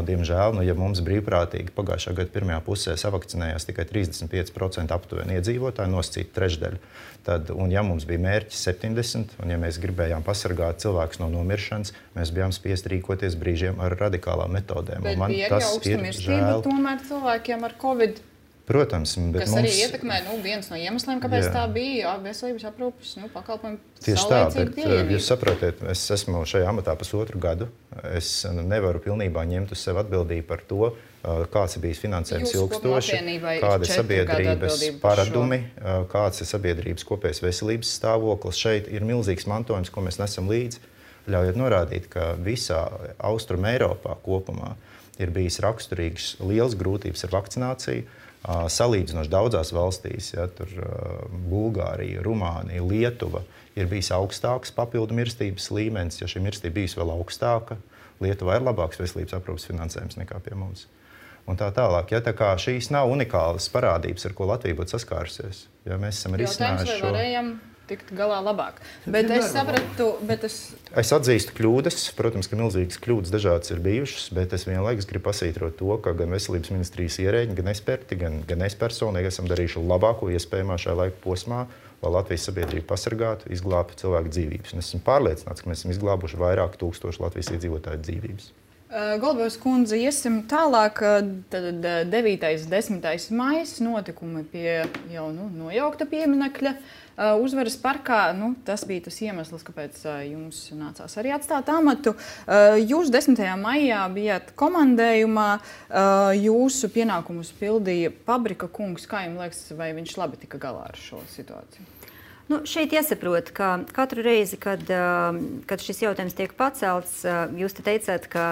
Diemžēl, nu, ja mums brīvprātīgi pagājušā gada pirmajā pusē savakcinējās tikai trīsdesmit pieci procenti aptuveni iedzīvotāji, nosacīta trešdaļa, tad, un ja mums bija mērķis septiņdesmit, un ja mēs gribējām pasargāt cilvēkus no nomiršanas, mēs bijām spiest rīkoties brīžiem ar radikālām metodēm. Bet man bija tas augsta ir mirstība žēl. Tomēr cilvēkiem ar Covid. Protams, bet kas mums, arī ietekmē, nu, viens no iemesliem, kāpēc jā. tā bija veselības aprūpes nu, pakalpojumu tieši tā, bet pieejamība. Jūs saprotiet, es esmu šajā amatā pusotru gadu. Es nevaru pilnībā ņemt uz sevi atbildību par to, kāds ir bijis finansējums ilgstoši, kāda ir sabiedrības paradumi, kāds ir sabiedrības kopējais veselības stāvoklis. Šeit ir milzīgs mantojums, ko mēs nesam līdzi. Ļaujiet norādīt, ka visā Austrum Eiropā kopumā ir bijis raksturīgs liels grūtības ar vakcināciju. Salīdzinoši daudzās valstīs, ja, tur Bulgārija, Rumānija, Lietuva, ir bijis augstāks papildu mirstības līmenis. Ja šī mirstība bijusi vēl augstāka, Lietuvā ir labāks veselības aprūpes finansējums nekā pie mums. Un tā tālāk. Ja, tā kā šīs nav unikālas parādības, ar ko Latvija būtu saskārusies, ja mēs esam risinājuši šo... Varējam tikt galā labāk. Bet es sapratu, bet es... Es atzīstu kļūdas. Protams, ka milzīgas kļūdas dažādas ir bijušas, bet es vienlaikus gribu pasvītrot to, ka gan veselības ministrijas ierēģi, gan eksperti, gan, gan es personīgi esam darījuši labāko iespējamā šajā laika posmā, lai Latvijas sabiedrību pasargātu, izglābtu cilvēku dzīvības. Un es esmu pārliecināts, ka mēs esam izglābuši vairāk tūkstošu Latvijas iedzīvotāju dzīvības. Golbevas kundze, iesim tālāk. Tad devītais, desmitais maijs notikumi pie jau nu, nojaukta pieminekļa Uzvaras parkā. Nu, tas bija tas iemesls, kāpēc jums nācās arī atstāt amatu. Jūs desmitajā maijā bijāt komandējumā. Jūsu pienākumus pildīja Pabrika kungs. Kā jums liekas, vai viņš labi tika galā ar šo situāciju? Nu, šeit jāsaprot, ka katru reizi, kad, kad šis jautājums tiek pacelts, jūs te teicāt, ka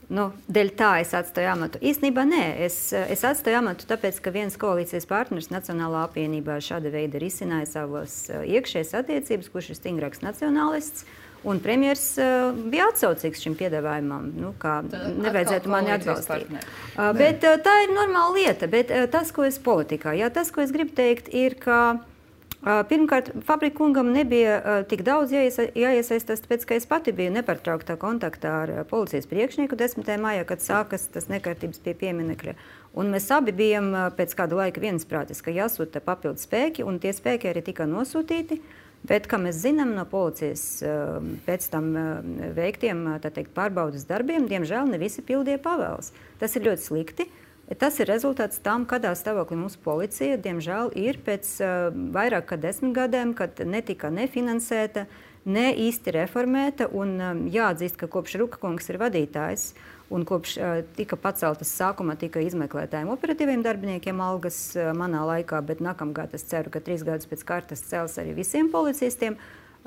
nu, dēļ tā es atstāju amatu. Īstenībā nē, es, es atstāju amatu tāpēc, ka viens koalīcijas partners Nacionālā apvienībā šāda veida risināja savas iekšējas attiecības, kurš ir stingrāks nacionālists, un premjers uh, bija atsaucīgs šim piedāvājumam, nu, kā tā, nevajadzētu mani atbalstīt. Uh, bet uh, tā ir normāla lieta, bet uh, tas, ko es politikā, jā, tas, ko es gribu teikt, ir, ka pirmkārt, Pabrika kungam nebija uh, tik daudz jāiesa, jāiesaistās, tāpēc, ka es pati biju nepārtrauktā kontaktā ar uh, policijas priekšnieku desmitajā maijā, kad sākas tas nekārtības pie pieminekļa. Un mēs abi bijām uh, pēc kāda laika viensprātis, ka jāsūta papildu spēki, un tie spēki arī tika nosūtīti. Bet, kā mēs zinām no policijas uh, pēc tam uh, veiktiem tā teikt, pārbaudas darbiem, diemžēl ne visi pildīja pavēles. Tas ir ļoti slikti. Tas ir rezultāts tam, kādā stāvoklī mūsu policija, diemžēl, ir pēc uh, vairāk kā desmit gadiem, kad netika nefinansēta, ne īsti reformēta. Un um, jāatzīst, ka kopš Ruka kungs ir vadītājs un kopš uh, tika paceltas sākumā tika izmeklētājiem operatīviem darbiniekiem algas uh, manā laikā, bet nākamgad es ceru, ka trīs gadus pēc kārtas cels arī visiem policistiem.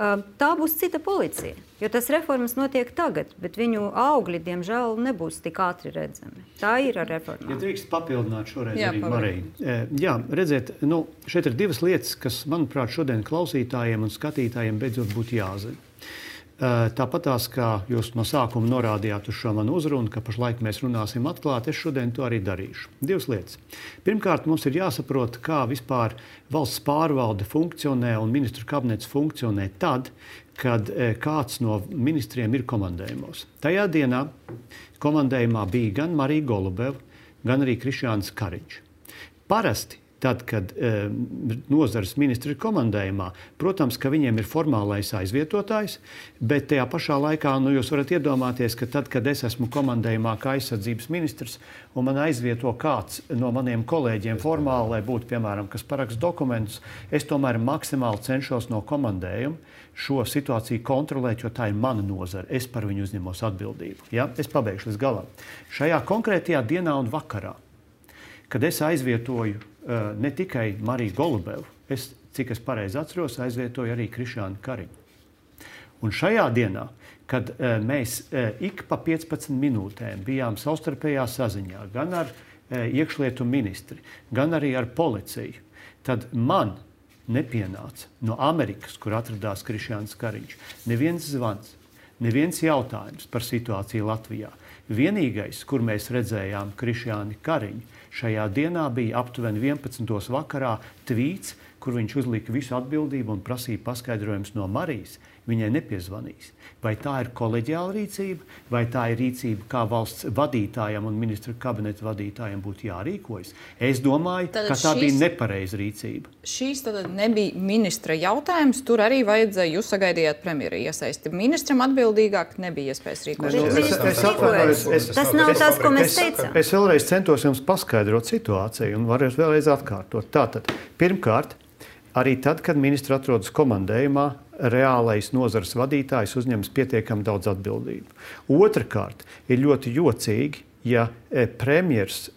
Uh, tā būs cita policija, jo tas reformas notiek tagad, bet viņu augļi, diemžēl, nebūs tik ātri redzami. Tā ir ar reformām. Ja drīkst papildināt šoreiz Jā, arī Marija. Jā, redziet, nu, šeit ir divas lietas, kas, manuprāt, šodien klausītājiem un skatītājiem beidzot būtu jāzina. Tāpat tās, kā jūs no sākuma norādījāt uz šo manu uzrunu, ka pašlaik mēs runāsim atklāti, es šodien to arī darīšu. Divas lietas. Pirmkārt, mums ir jāsaprot, kā vispār valsts pārvalde funkcionē un ministru kabinets funkcionē tad, kad kāds no ministriem ir komandējumos. Tajā dienā komandējumā bija gan Marija Golubeva, gan arī Krišjānis Kariņš. Parasti tad, kad e, nozares ministri ir komandējumā, protams, ka viņiem ir formālais aizvietotājs, bet tajā pašā laikā nu, jūs varat iedomāties, ka tad, kad es esmu komandējumā kā aizsardzības ministrs un man aizvieto kāds no maniem kolēģiem formāli, lai būtu, piemēram, kas paraksta dokumentus, es tomēr maksimāli cenšos no komandējuma šo situāciju kontrolēt, jo tā ir mana nozara. Es par viņu uzņemos atbildību. Ja? Es pabeigšu līdz galam. Šajā konkrētajā dienā un vakarā, kad es aizvietoju uh, ne tikai Mariju Golubevu, es, cik es pareizi atceros, aizvietoju arī Krišjānu Kariņu. Un šajā dienā, kad uh, mēs uh, ik pa piecpadsmit minūtēm bijām savstarpējā saziņā, gan ar uh, iekšlietu ministri, gan arī ar policiju, tad man nepienāca no Amerikas, kur atradās Krišjāns Kariņš, neviens zvans, neviens jautājums par situāciju Latvijā. Vienīgais, kur mēs redzējām Krišjāni Kariņu, šajā dienā bija aptuveni vienpadsmitos vakarā tvīts, kur viņš uzlika visu atbildību un prasīja paskaidrojumus no Marijas. Viņai nepiezvanīs. Vai tā ir koleģiāla rīcība, vai tā ir rīcība, kā valsts vadītājiem un ministru kabineta vadītājiem būtu jārīkojas? Es domāju, tad ka tā šīs, bija nepareiza rīcība. Šīs tad nebija ministra jautājums, tur arī vajadzēja, jūs sagaidījāt premjera iesaisti. Ministram atbildīgāk nebija iespējas rīkoties. Tas nav tas, ko mēs teicām. Es, es vēlreiz centos jums paskaidrot situāciju un varu vēlreiz atkārtot. Tātad, pirmkārt, arī tad, kad ministri atrodas komandējumā, reālais nozares vadītājs uzņems pietiekami daudz atbildību. Otrakārt, ir ļoti jocīgi, ja premjers,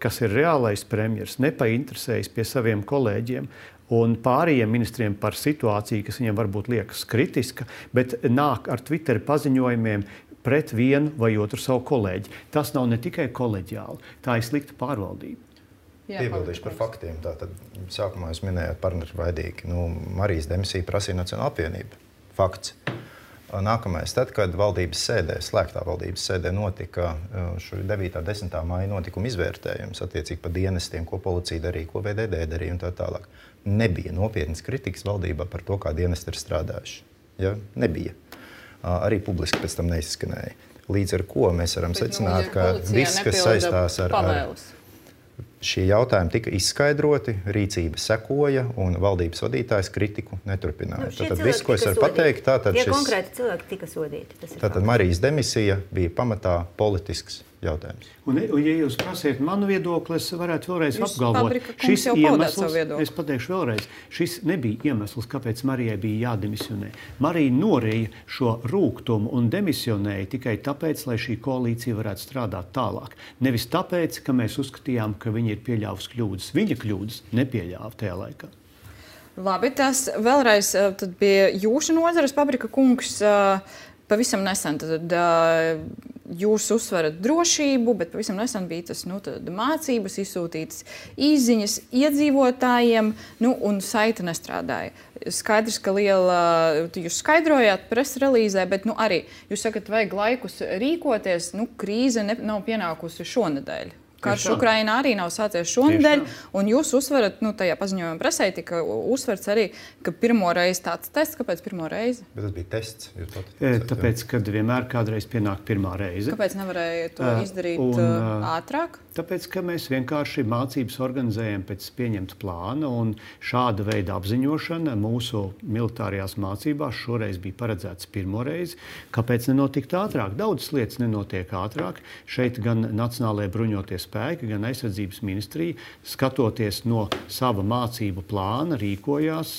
kas ir reālais premjers, nepainteresējas pie saviem kolēģiem un pārējiem ministriem par situāciju, kas viņiem varbūt liekas kritiska, bet nāk ar Twitter paziņojumiem pret vienu vai otru savu kolēģi. Tas nav ne tikai koleģiāli, tā ir slikta pārvaldība. Piebildīšu par faktiem. Tātad, sākumā jūs minējāt partnervaidīgi. Nu, Marijas demisija prasīja Nacionāla apvienība. Fakts. Nākamais, tad, kad valdības sēdē, slēgtā valdības sēdē notika devītā un desmitā maija notikuma izvērtējums attiecīgi par dienestiem, ko policija darīja, ko V D D darīja un tā tālāk. Nebija nopietnas kritikas valdībā par to, kā dienesti ir strādājuši. Ja? Nebija. Arī publiski pēc tam neizskanēja. Līdz ar ko mēs varam Bet, secināt, nu, ka viss, kas saistās ar... ar Šie jautājumi tika izskaidroti, rīcība sekoja un valdības vadītājs kritiku neturpināja. Nu, tātad viss, ko es varu pateikt, tātad šis... Tie konkrēti cilvēki tika sodīti. Tātad Marijas demisija bija pamatā politisks jautājums. Un, un ja jūs prasiet manu viedokli, es varētu vēlreiz jūs apgalvot. Šis iemesls, es pateikšu vēlreiz, šis nebija iemesls, kāpēc Marijai bija jādemisionē. Marija norēja šo rūgtumu un demisionēja tikai tāpēc, lai šī koalīcija varētu strādāt tālāk. Nevis tāpēc, ka mēs uzskatījām, ka viņa ir pieļāvusi kļūdas. Viņa kļūdas nepieļāva tajā laikā. Labi, tas vēlreiz tad bija jūsu nozares, Pabrika kungs. Pavisam nesen tad, jūs uzsverat drošību, bet pavisam nesen bija tas nu, mācības, izsūtītas īsziņas iedzīvotājiem, nu, un saite nestrādāja. Skaidrs, ka liela, jūs skaidrojāt presrelīzē, bet nu, arī jūs sakat, vajag laikus rīkoties, nu, krīze ne, nav pienākusi šonedēļ. Karš Ukrainā arī nav sācies šonedēļ, un jūs uzsverat, nu, tajā paziņojumā presē tika uzsverts arī, ka pirmo reizi tāds tests. Kāpēc pirmo reizi? Bet tas bija tests. E, tāpēc, kad vienmēr kādreiz pienāk pirmā reize. Kāpēc nevarēja to izdarīt un, uh, ātrāk? Tāpēc, ka mēs vienkārši mācības organizējam pēc pieņemta plāna, un šāda veida apziņošana mūsu militārajās mācībās šoreiz bija paredzēts pirmo reizi. Kāpēc nenotikt ātrāk? Daudzas lietas nenotiek ātrāk. Šeit gan Nacionālajie bruņoties spēki, gan aizsardzības ministrija, skatoties no sava mācību plāna, rīkojās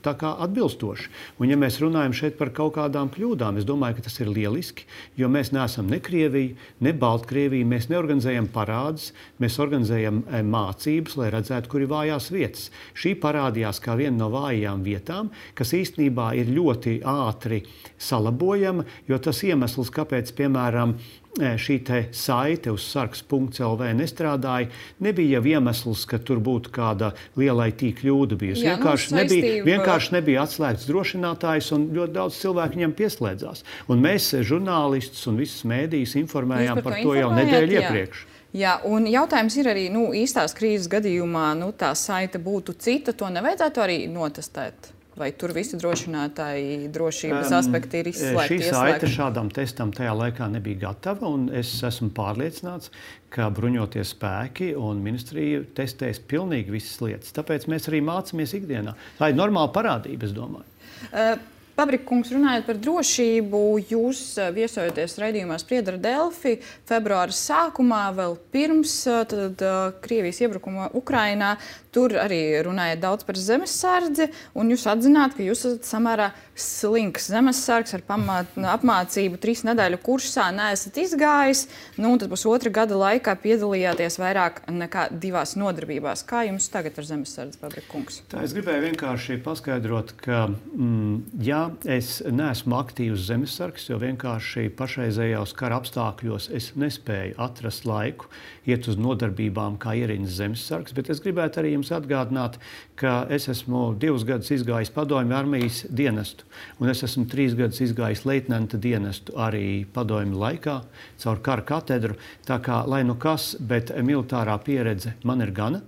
tā kā atbilstoši. Un ja mēs runājam šeit par kaut kādām kļūdām, es domāju, ka tas ir lieliski, jo mēs neesam ne Krievija, ne Baltkrievija, mēs neorganizējam parādus, mēs organizējam mācības, lai redzētu, kur ir vājās vietas. Šī parādījās kā viena no vājām vietām, kas īstenībā ir ļoti ātri salabojama, jo tas iemesls, kāpēc, piemēram, šī te saite uz sarks punkts L V nestrādāja, nebija jau iemesls, ka tur būtu kāda liela I T kļūda bijusi. Jā, vienkārši, nu, nebija, saistība... vienkārši nebija atslēgts drošinātājs un ļoti daudz cilvēku viņam pieslēdzās. Un mēs, žurnālistus un visas mēdījus, informējām par, par to, to jau nedēļu iepriekš. Jā, un jautājums ir arī, nu, īstās krīzes gadījumā, nu, tā saite būtu cita, to nevajadzētu arī notestēt? vai tur visi drošinātāji, drošības um, aspekti ir izslēgti? Šī saite šādam testam tajā laikā nebija gatava, un es esmu pārliecināts, ka bruņotie spēki un ministrija testēs pilnīgi visas lietas. Tāpēc mēs arī mācāmies ikdienā. Tā ir normāla parādība, es domāju. Uh, Pabrika kungs, runājot par drošību, jūs viesojoties raidījumā Spriedzi ar Delfi februāra sākumā, vēl pirms tad, Krievijas iebrukuma Ukrainā. Tur arī runājat daudz par zemesardzi, un jūs atzināt, ka jūs esat samērā slinks zemesargs ar pamāt, apmācību trīs nedēļu kursā neesat izgājis, nu, un tad pusotra gada laikā piedalījāties vairāk nekā divās nodarbībās. Kā jums tagad ar zemesardzi, Pabrika kungs? Tā es gribēju vienkārši paskaidrot, ka, mm, ja es neesmu aktīvs zemesargs, jo vienkārši pašreizējos kara apstākļos es nespēju atrast laiku iet uz nodarbībām kā ierīnas zemesargs, bet es gribētu arī jums atgādināt, ka es esmu divus gadus izgājis padomju armijas dienestu, un es esmu trīs gadus izgājis leitnanta dienestu arī padomju laikā caur kara katedru. Tā kā, lai nu kas, bet militārā pieredze man ir gana.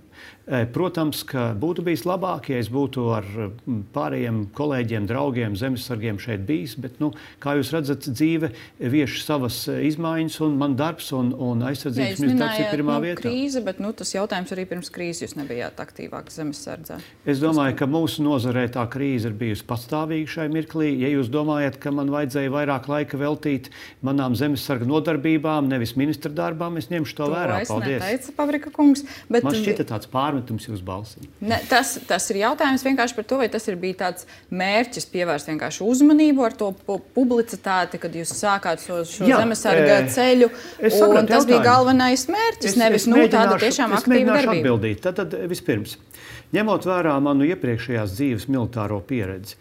Protams, ka būtu bijis labāk, ja es būtu ar pārējiem kolēģiem, draugiem, zemesargiem šeit bijis, bet, nu, kā jūs redzat, dzīve vieš savas izmaiņas, un man darbs un, un aizsardzības ministrs darbs ir pirmā nu, vietā. Krīze, bet nu, tas jautājums arī pirms krīzes jūs nebijāt aktīvāk zemesardzē. Es domāju, ka mūsu nozarē tā krīze ir bijusi pastāvīga šai mirklī. Ja jūs domājat, ka man vajadzēja vairāk laika veltīt manām zemesarga nodarbībām, nevis ministra darbām, es ņemšu to, to vērā. Paldies. Neteica, Pabrika kungs, bet man šķita tāds pārmetums jūs balsī. Ne, tas, tas ir jautājums vienkārši par to, vai tas ir bija tāds mērķis pievērst vienkārši uzmanību ar to pu publicitāti, kad jūs sākāt šo, šo Jā, zemesarga e, ceļu, un tas jautājumu. Bija galvenais mērķis, es, nevis es nu, tāda tiešām aktīva darbība. Atbildīt. Tad, tad vispirms, ņemot vērā manu iepriekšējās dzīves militāro pieredzi,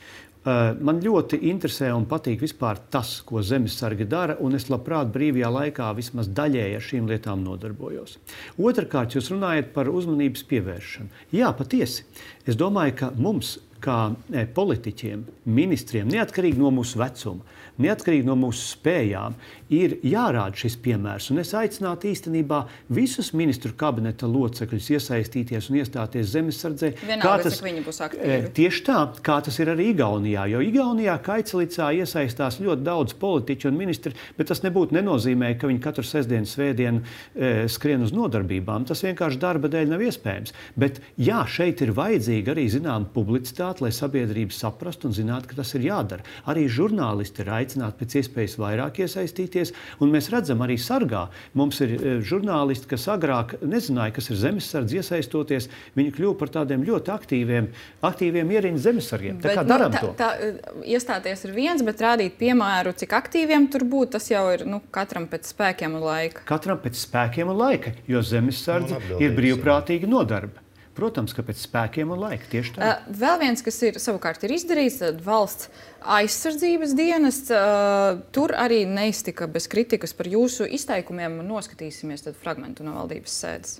man ļoti interesē un patīk vispār tas, ko zemesargi dara, un es labprāt brīvajā laikā vismaz daļēji ar šīm lietām nodarbojos. Otrakārt, jūs runājat par uzmanības pievēršanu. Jā, patiesi. Es domāju, ka mums, kā politiķiem, ministriem, neatkarīgi no mūsu vecuma, neatkarīgi no mūsu spējām, ir jārāda šis piemērs. Un es aicinātu īstenībā visus ministru kabineta locekļus iesaistīties un iestāties zemesardzē. Vienalga, tas, cik viņi būs aktīvi. Tieši tā, kā tas ir arī Igaunijā. Jo Igaunijā Kaicelicā iesaistās ļoti daudz politiķu un ministri, bet tas nebūtu nenozīmē, ka viņi katru sestdienu, svētdienu e, skrien uz nodarbībām. Tas vienkārši darba dēļ nav iespējams. Bet jā, šeit ir vajadzīga arī zinām publicitāte, lai sabiedrība saprastu un zinātu, ka tas ir jādara. Arī žurnālisti ir aicināti pēc iespējas vairāk iesaistīties, un mēs redzam arī sargā. Mums ir e, žurnālisti, kas agrāk nezināja, kas ir zemesardze, iesaistoties, viņi kļuva par tādiem ļoti aktīviem, aktīviem ierīnas zemesargiem. Tā bet, kā daram nu, to. Tā, tā, iestāties ir viens, bet rādīt piemēru, cik aktīviem tur būt, tas jau ir nu, katram pēc spēkiem un laika. Katram pēc spēkiem un laika, jo zemesardze ir brīvprātīga nodarbe. Protams, ka pēc spēkiem un laika tieši tā. Uh, vēl viens, kas ir savukārt ir izdarīts, tad valsts aizsardzības dienests. Uh, tur arī neiztika bez kritikas par jūsu izteikumiem. Noskatīsimies tad fragmentu no valdības sēdes.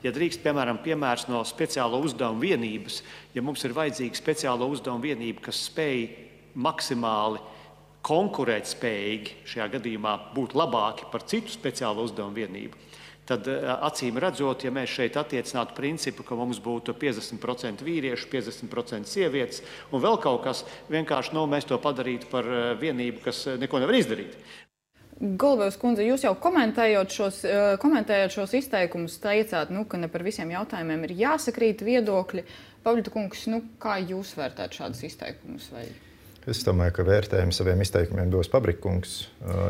Ja drīkst, piemēram, piemērs no speciālo uzdevumu vienības, ja mums ir vajadzīga speciālo uzdevumu vienība, kas spēj maksimāli konkurēt spējīgi, šajā gadījumā būt labāki par citu speciālo uzdevumu vienību, tad acīm redzot, ja mēs šeit attiecinātu principu, ka mums būtu piecdesmit procenti vīriešu, piecdesmit procenti sievietes un vēl kaut kas, vienkārši nu, mēs to padarītu par vienību, kas neko nevar izdarīt. Golubevs kundze, jūs jau komentējot šos, komentējot šos izteikumus, teicāt, nu, ka ne par visiem jautājumiem ir jāsakrīt viedokļi. Pavļita kungs, nu, kā jūs vērtētu šādus izteikumus? Vai... Es domāju, ka vērtējumu saviem izteikumiem dos Pabrika kungs.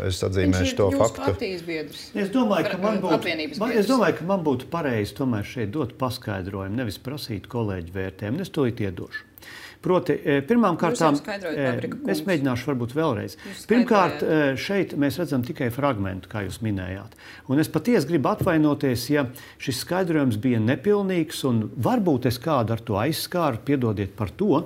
Es atzīmēšu to faktu. Es domāju, ka man būtu, man, es domāju, ka man būtu pareizi tomēr šeit dot paskaidrojumu, nevis prasīt kolēģu vērtējumu. Es to iedošu. Proti, pirmām kārtām, es mēģināšu varbūt vēlreiz. Pirmkārt, šeit mēs redzam tikai fragmentu, kā jūs minējāt. Un es patiesi gribu atvainoties, ja šis skaidrojums bija nepilnīgs, un varbūt es kādu ar to aizskāru, piedodiet par to,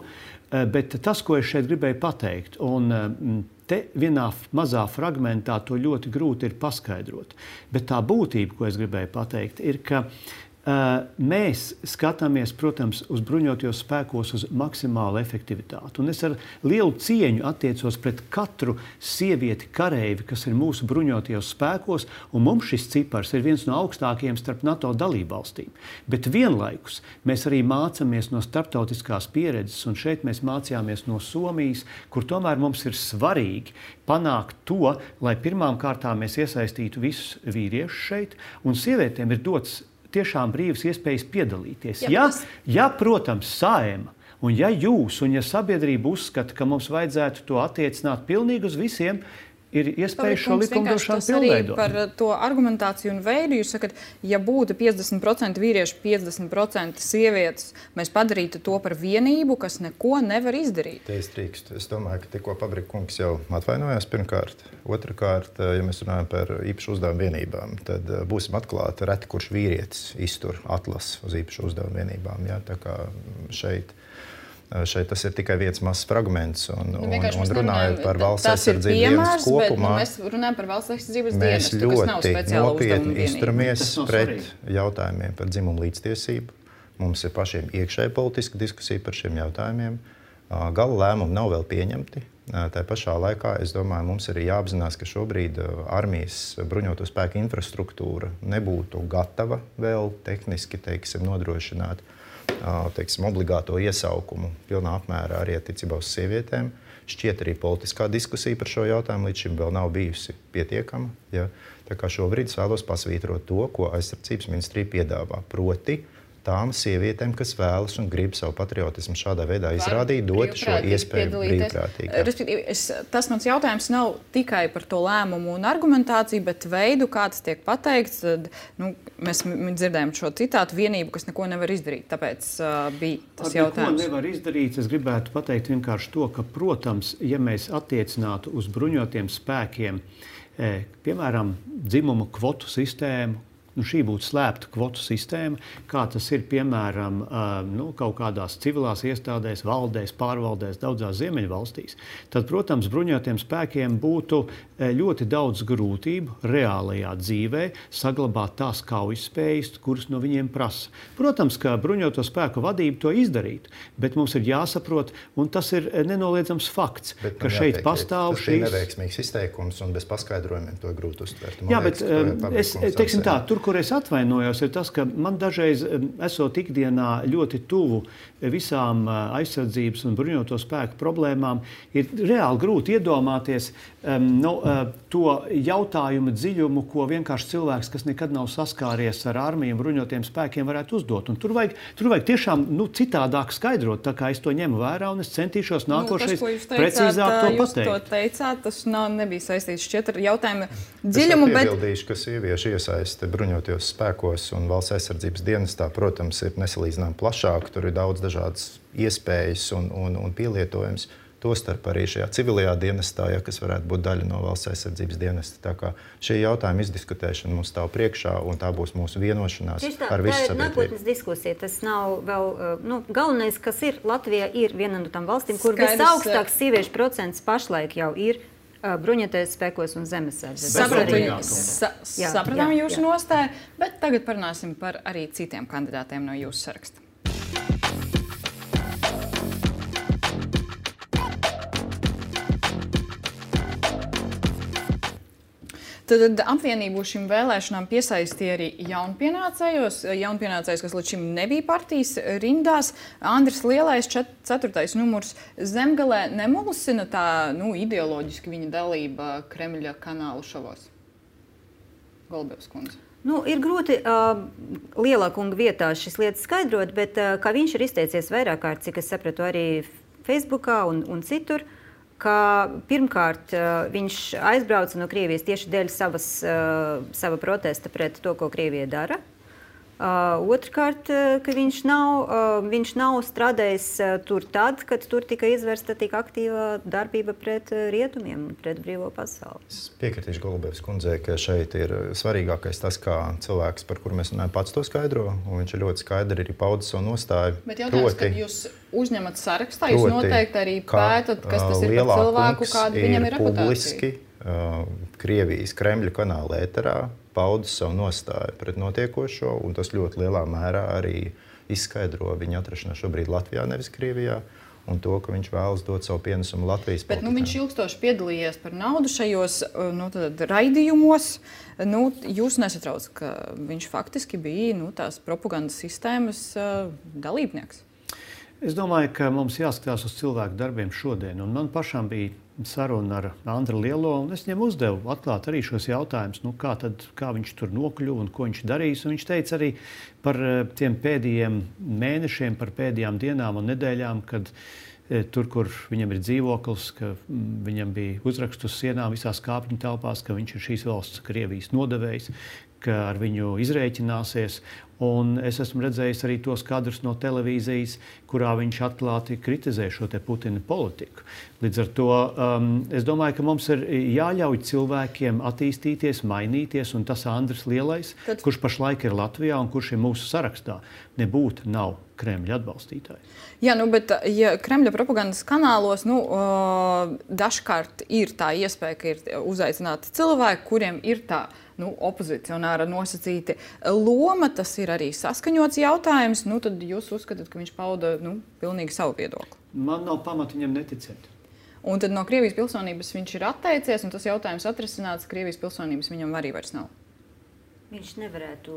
bet tas, ko es šeit gribēju pateikt, un te vienā mazā fragmentā to ļoti grūti ir paskaidrot. Bet tā būtība, ko es gribēju pateikt, ir, ka Mēs skatāmies, protams, uz bruņotajos spēkos uz maksimālu efektivitāti. Un es ar lielu cieņu attiecos pret katru sievieti kareivi, kas ir mūsu bruņotajos spēkos, un mums šis cipars ir viens no augstākajiem starp NATO dalībvalstīm. Bet vienlaikus mēs arī mācāmies no starptautiskās pieredzes, un šeit mēs mācījāmies no Somijas, kur tomēr mums ir svarīgi panākt to, lai pirmām kārtām mēs iesaistītu visus vīriešus šeit, un sievietēm ir dots tiešām brīvas iespējas piedalīties. Ja, ja, protams, Saeima, un ja jūs, un ja sabiedrība uzskata, ka mums vajadzētu to attiecināt pilnīgi uz visiem, ir iespēja šo likumdošanu pilnveidot. Par to argumentāciju un veidu jūs sakat, ja būtu piecdesmit procenti vīrieši, piecdesmit procenti sievietes, mēs padarītu to par vienību, kas neko nevar izdarīt. Te es drīkstu. Es domāju, ka tikko Pabrika kungs jau atvainojās pirmkārt. Otrakārt, ja mēs runājam par īpašu uzdevumu vienībām, tad būsim atklāti, reti kurš vīrietis iztur atlasi uz īpašu uzdevumu vienībām. Ja? Tā kā šeit Šeit tas ir tikai viens mazs fragments, un, nu, un, un runājot par valsts aizsardzības dienas kopumā, bet, nu, mēs runājam par valsts aizsardzības mēs dienestu, kas nav ļoti nopietni izturamies pret jautājumiem par dzimumu līdztiesību. Mums ir pašiem iekšēji politiska diskusija par šiem jautājumiem. Gala lēmumi nav vēl pieņemti. Tā pašā laikā, es domāju, mums ir jāapzinās, ka šobrīd armijas bruņoto spēku infrastruktūra nebūtu gatava vēl tehniski, teiksim, nodrošināt teiksim, obligāto iesaukumu pilnā apmērā arī attiecībā uz sievietēm. Šķiet arī politiskā diskusija par šo jautājumu līdz šim vēl nav bijusi pietiekama. Ja? Tā kā šobrīd es vēlos pasvītrot to, ko aizsardzības ministrija piedāvā. Proti, tām sievietēm, kas vēlas un grib savu patriotismu šādā veidā izrādīt, dot šo iespēju brīvprātīgi. Tas mans jautājums nav tikai par to lēmumu un argumentāciju, bet veidu, kā tas tiek pateikts. Tad, nu, mēs dzirdējām šo citātu vienību, kas neko nevar izdarīt. Tāpēc uh, bija tas Ar jautājums. Neko nevar izdarīt. Es gribētu pateikt vienkārši to, ka, protams, ja mēs attiecinātu uz bruņotiem spēkiem, eh, piemēram, dzimumu kvotu sistēmu, nu, šī būtu slēpta kvotu sistēma, kā tas ir piemēram nu, kaut kādās civilās iestādēs, valdēs, pārvaldēs, daudzās ziemeļvalstīs, tad, protams, bruņotiem spēkiem būtu ļoti daudz grūtību reālajā dzīvē saglabāt tās kaujaspējas, kuras no viņiem prasa. Protams, ka bruņoto spēku vadība to izdarītu, bet mums ir jāsaprot, un tas ir nenoliedzams fakts, bet ka šeit jāteikt, pastāv šīs... Tas šīs... ir neveiksmīgs izteikums, un bez paskaidrojumiem to grūti uztvert. Jā, bet es, teiksim tā, tur, kur es atvainojos, ir tas, ka man dažreiz, esot ikdienā ļoti tuvu visām aizsardzības un bruņoto spēku problēmām, ir reāli grūti iedomāties um, no, uh, to jautājumu dziļumu, ko vienkārši cilvēks, kas nekad nav saskāries ar armiju un bruņotiem spēkiem, varētu uzdot. Un tur vajag, tur vajag tiešām nu, citādāk skaidrot, tā kā es to ņemu vērā, un es centīšos nākošais nu, tas, precīzāk to jūs pateikt. Jūs to teicāt, tas nav, nebija saistīts šķiet ar jautājumu dziļumu, dziļumu, bet... Es piebildīšu, ka sieviešu iesaiste bruņotajos spēkos un valsts aizsardzības dienestā, protams, ir nesalīdzinām plašāk. Tur ir daudz dažādas iespējas un, un, un pielietojums. Tostarp arī šajā civilajā dienestā, ja, kas varētu būt daļa no valsts aizsardzības dienesta. Tā kā šī jautājuma izdiskutēšana mums stāv priekšā, un tā būs mūsu vienošanās tā, ar visu sabiedrību. Tā ir nākotnes diskusija. Tas nav vēl, nu, galvenais, kas ir Latvijā, ir viena no tām valstīm, kur visaugstāks sieviešu procents pašlaik jau ir bruņotajos spēkos un zemesardzes. Sapratām jūsu nostāju, bet tagad parunāsim par arī citiem kandidātiem no jūsu saraksta. Tad apvienību šīm vēlēšanām piesaistīja arī jaunpienācējos. Jaunpienācējs, kas līdz šim nebija partijas rindās. Andris Lielais, ceturtais numurs Zemgalē, nemulusina tā nu, ideoloģiski viņa dalība Kremļa kanālu šovos? Golubevs kundze. Nu, ir grūti uh, lielā kunga vietā šis lietas skaidrot, bet uh, kā viņš ir izteicies vairāk kārt, cik es sapratu arī Facebookā un, un citur, ka pirmkārt viņš aizbrauca no Krievijas tieši dēļ savas, sava protesta pret to, ko Krievija dara. Otrkārt, ka viņš nav, viņš nav strādājis tur tad, kad tur tika izvērsta tik aktīva darbība pret rietumiem, pret brīvo pasauli. Es piekritīšu Golubevs kundzei, ka šeit ir svarīgākais tas, kā cilvēks, par kuru mēs runājam, pats to skaidro, un viņš ir ļoti skaidri arī paudis savu nostāju. Bet jautājums, proti, kad jūs uzņemat sarakstā, jūs noteikti arī pētat, kas tas ir par cilvēku, kāda viņam ir reputācija. Publiski uh, Krievijas Kremļa kanāla ēterā paudis savu nostāju pret notiekošo, un tas ļoti lielā mērā arī izskaidro viņa atrašanos šobrīd Latvijā, nevis Krievijā, un to, ka viņš vēlas dot savu pienesumu Latvijas politikā. Bet nu, viņš ilgstoši piedalījies par naudu šajos nu, tad, raidījumos. Nu, jūs nesatrauc, ka viņš faktiski bija nu, tās propagandas sistēmas uh, dalībnieks? Es domāju, ka mums jāskatās uz cilvēku darbiem šodien. Un man pašam bija saruna ar Andru Lielo, un es viņam uzdevu atklāt arī šos jautājumus, nu, kā, tad, kā viņš tur nokļuva un ko viņš darīs. Un viņš teica arī par tiem pēdējiem mēnešiem, par pēdējām dienām un nedēļām, kad tur, kur viņam ir dzīvoklis, ka viņam bija uzraksts uz sienām visās kāpņu telpās, ka viņš ir šīs valsts Krievijas nodevējs, ka ar viņu izrēķināsies. Un es esmu redzējis arī tos kadrus no televīzijas, kurā viņš atklāti kritizē šo te Putina politiku. Līdz ar to um, es domāju, ka mums ir jāļauj cilvēkiem attīstīties, mainīties, un tas Andris Lielais, Tad... kurš pašlaik ir Latvijā un kurš ir mūsu sarakstā, nebūtu nav Kremļa atbalstītājs. Jā, nu, bet ja Kremļa propagandas kanālos nu, uh, dažkārt ir tā iespēja, ka ir uzaicināti cilvēki, kuriem ir tā nu, opozicionāra nosacīta loma, tas ir arī saskaņots jautājums, nu, tad jūs uzskatāt, ka viņš pauda nu, pilnīgi savu viedokli? Man nav pamata viņam neticēt. Un tad no Krievijas pilsonības viņš ir atteicies, un tas jautājums atrisināts, Krievijas pilsonības viņam arī vairs nav. Viņš nevarētu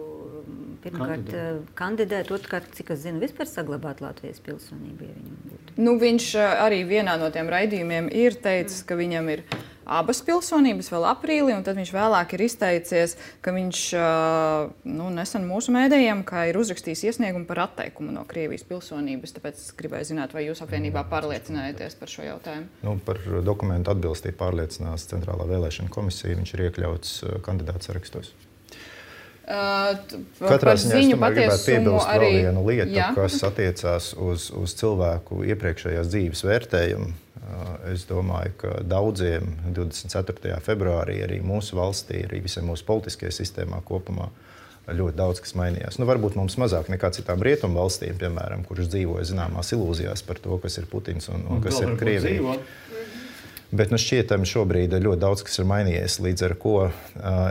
pirmkārt kandidēt, kandidēt otrkārt, cik es zinu, vispār saglabāt Latvijas pilsonību, ja viņam būtu. Nu, viņš arī vienā no tiem raidījumiem ir teicis, ka viņam ir abas pilsonības vēl aprīlī, un tad viņš vēlāk ir izteicies, ka viņš nu, nesen mūsu mēdījiem, kā ir uzrakstījis iesniegumu par atteikumu no Krievijas pilsonības. Tāpēc es gribēju zināt, vai jūs apvienībā pārliecinājāties par šo jautājumu? Nu, par dokumentu atbilstību pārliecinās Centrālā vēlēšana komisija. Viņš ir iekļauts kandidātu sarakstos. Uh, Katrā ziņā es tomēr gribētu piebilst arī... vēl vienu lietu, Jā. kas attiecās uz, uz cilvēku iepriekšējās dzīves vērtējumu. Uh, es domāju, ka daudziem divdesmit ceturtajā februārī arī mūsu valstī, arī visai mūsu politiskajā sistēmā kopumā ļoti daudz kas mainījās. Nu, varbūt mums mazāk nekā citām rietumu valstīm, piemēram, kuras dzīvoja zināmās ilūzijās par to, kas ir Putins un, un, un kas ir Krievija. Bet nu, šķietami šobrīd ļoti daudz kas ir mainījies, līdz ar ko uh,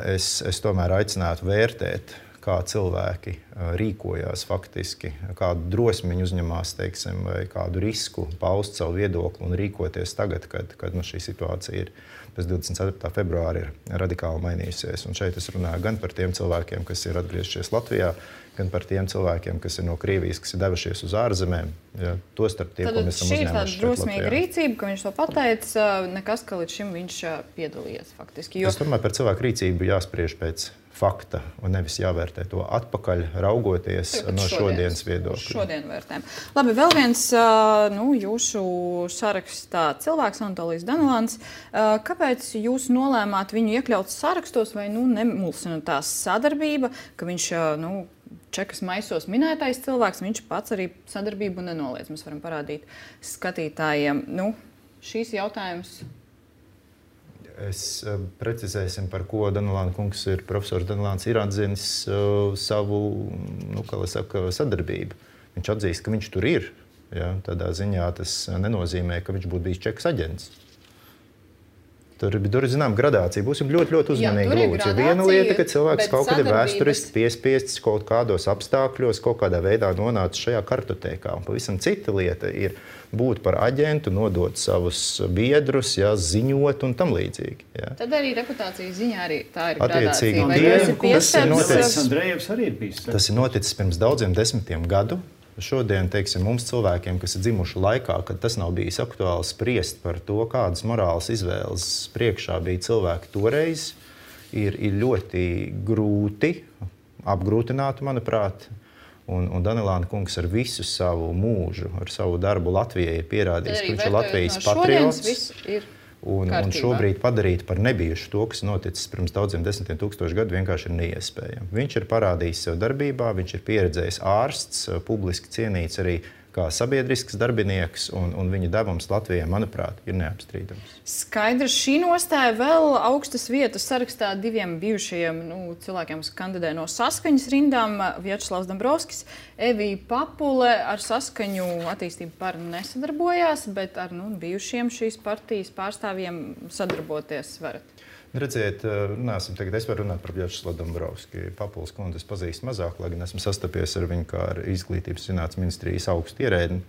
es, es tomēr aicinātu vērtēt, kā cilvēki uh, rīkojās faktiski, kādu drosmi viņi uzņemās, teiksim, vai kādu risku paust savu viedokli un rīkoties tagad, kad, kad nu, šī situācija ir pēc divdesmit ceturtā februāra ir radikāli mainījusies. Un šeit es runāju gan par tiem cilvēkiem, kas ir atgriezušies Latvijā, gan par tiem cilvēkiem, kas ir no Krievijas, kas ir devušies uz ārzemēm. Ja, to starp tie, ko mēs esam uzņēmuši šeit Latvijā. Tad šī ir tāda drosmīga rīcība, ka viņš to pateica, nekas, ka līdz šim viņš piedalījies faktiski. Jo... Es domāju, par cilvēku rīcību jāspriež pēc fakta un nevis jāvērtē to atpakaļ, raugoties Tagad no šodienas viedokļa. Šodien vērtēm. Labi, vēl viens nu, jūsu sarakstā cilvēks, Anatolijs Danilants. Kāpēc jūs nolēmāt viņu iekļaut sarakstos vai nu, nemulsina tā sadarbība, ka viņš nu, čekas maisos minētais cilvēks, viņš pats arī sadarbību nenoliedz. Mēs varam parādīt skatītājiem. Nu, šīs jautājums... Es precizēsim, par ko Danilāna kungs ir, profesors Danilāns ir atzinis uh, savu, nu, kā lai saka, sadarbību. Viņš atzīst, ka viņš tur ir. Ja? Tādā ziņā tas nenozīmē, ka viņš būtu bijis čekas aģents. Tur, tur ir zinām gradācija. Būsim ļoti, ļoti uzmanīgi. Jā, ja viena lieta, ka cilvēks kaut kad ir vēsturiski piespiests kaut kādos apstākļos, kaut kādā veidā nonācis šajā kartotēkā. Un pavisam cita lieta ir būt par aģentu, nodot savus biedrus, jā, ziņot un tam līdzīgi. Jā. Tad arī reputācijas ziņā arī tā ir attiecīgi, gradācija. Tas ir noticis pirms daudziem desmitiem gadu. Šodien, teiksim, mums cilvēkiem, kas ir dzimuši laikā, kad tas nav bijis aktuāli spriest par to, kādas morālas izvēles priekšā bija cilvēki toreiz, ir, ir ļoti grūti, apgrūtināti, manuprāt. Un, un Danilāna kungs ar visu savu mūžu, ar savu darbu Latvijai ir pierādījis, ka viņš ir Latvijas no patriots. Un, un šobrīd padarīt par nebijušu to, kas noticis pirms daudziem desmitiem tūkstošu gadu, vienkārši ir neiespējami. Viņš ir parādījis sev darbībā, viņš ir pieredzējis ārsts, publiski cienīts arī kā sabiedrisks darbinieks, un, un viņa devums Latvijai, manuprāt, ir neapstrīdams. Skaidrs, šī nostāja vēl augstas vietas sarakstā diviem bijušajiem nu, cilvēkiem, kas kandidē no Saskaņas rindām, Vjačeslavs Dombrovskis, Evija Papule ar Saskaņu attīstību par nesadarbojās, bet ar nu, bijušiem šīs partijas pārstāvjiem sadarboties varat. Redziet, runāsim tagad, es varu runāt par Vjačeslavu Dombrovski. Papuls kundzi es pazīstu mazāk, lai gan esmu sastapies ar viņu kā ar izglītības zinātnes ministrijas augstu ierēdni.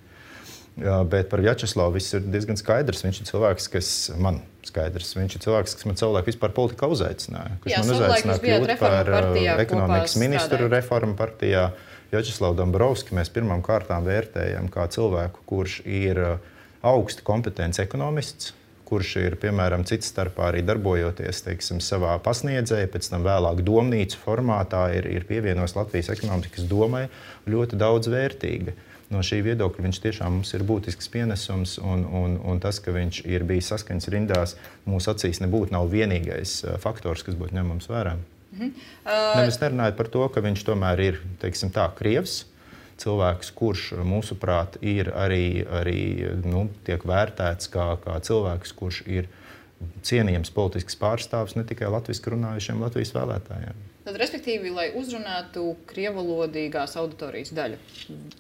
Bet par Vjačeslavu viss ir diezgan skaidrs. Viņš ir cilvēks, kas man skaidrs. Viņš ir cilvēks, kas man savulaik vispār politikā uzaicināja. Kas Jā, man uzaicināja kļūt par ekonomikas ministru reformu partijā. Vjačeslavu Dombrovski mēs pirmām kārtām vērtējam kā cilvēku, kurš ir augsti kompetents ekonomists, kurš ir, piemēram, cits starpā arī darbojoties, teiksim, savā pasniedzēja, pēc tam vēlāk domnīcu formātā ir, ir pievienojis Latvijas ekonomikas domai ļoti daudz vērtīga. No šī viedokļa viņš tiešām mums ir būtisks pienesums, un, un, un tas, ka viņš ir bijis saskaņas rindās, mūsu acīs nebūtu nav vienīgais faktors, kas būtu ņemams vērā. Mhm. Uh... Nemaz nerunājot par to, ka viņš tomēr ir, teiksim tā, krievs, cilvēks, kurš, mūsuprāt, ir arī, arī nu, tiek vērtēts kā, kā cilvēks, kurš ir cienījams politisks pārstāvs ne tikai latviski runājušiem Latvijas vēlētājiem. Tad, respektīvi, lai uzrunātu krievalodīgās auditorijas daļu,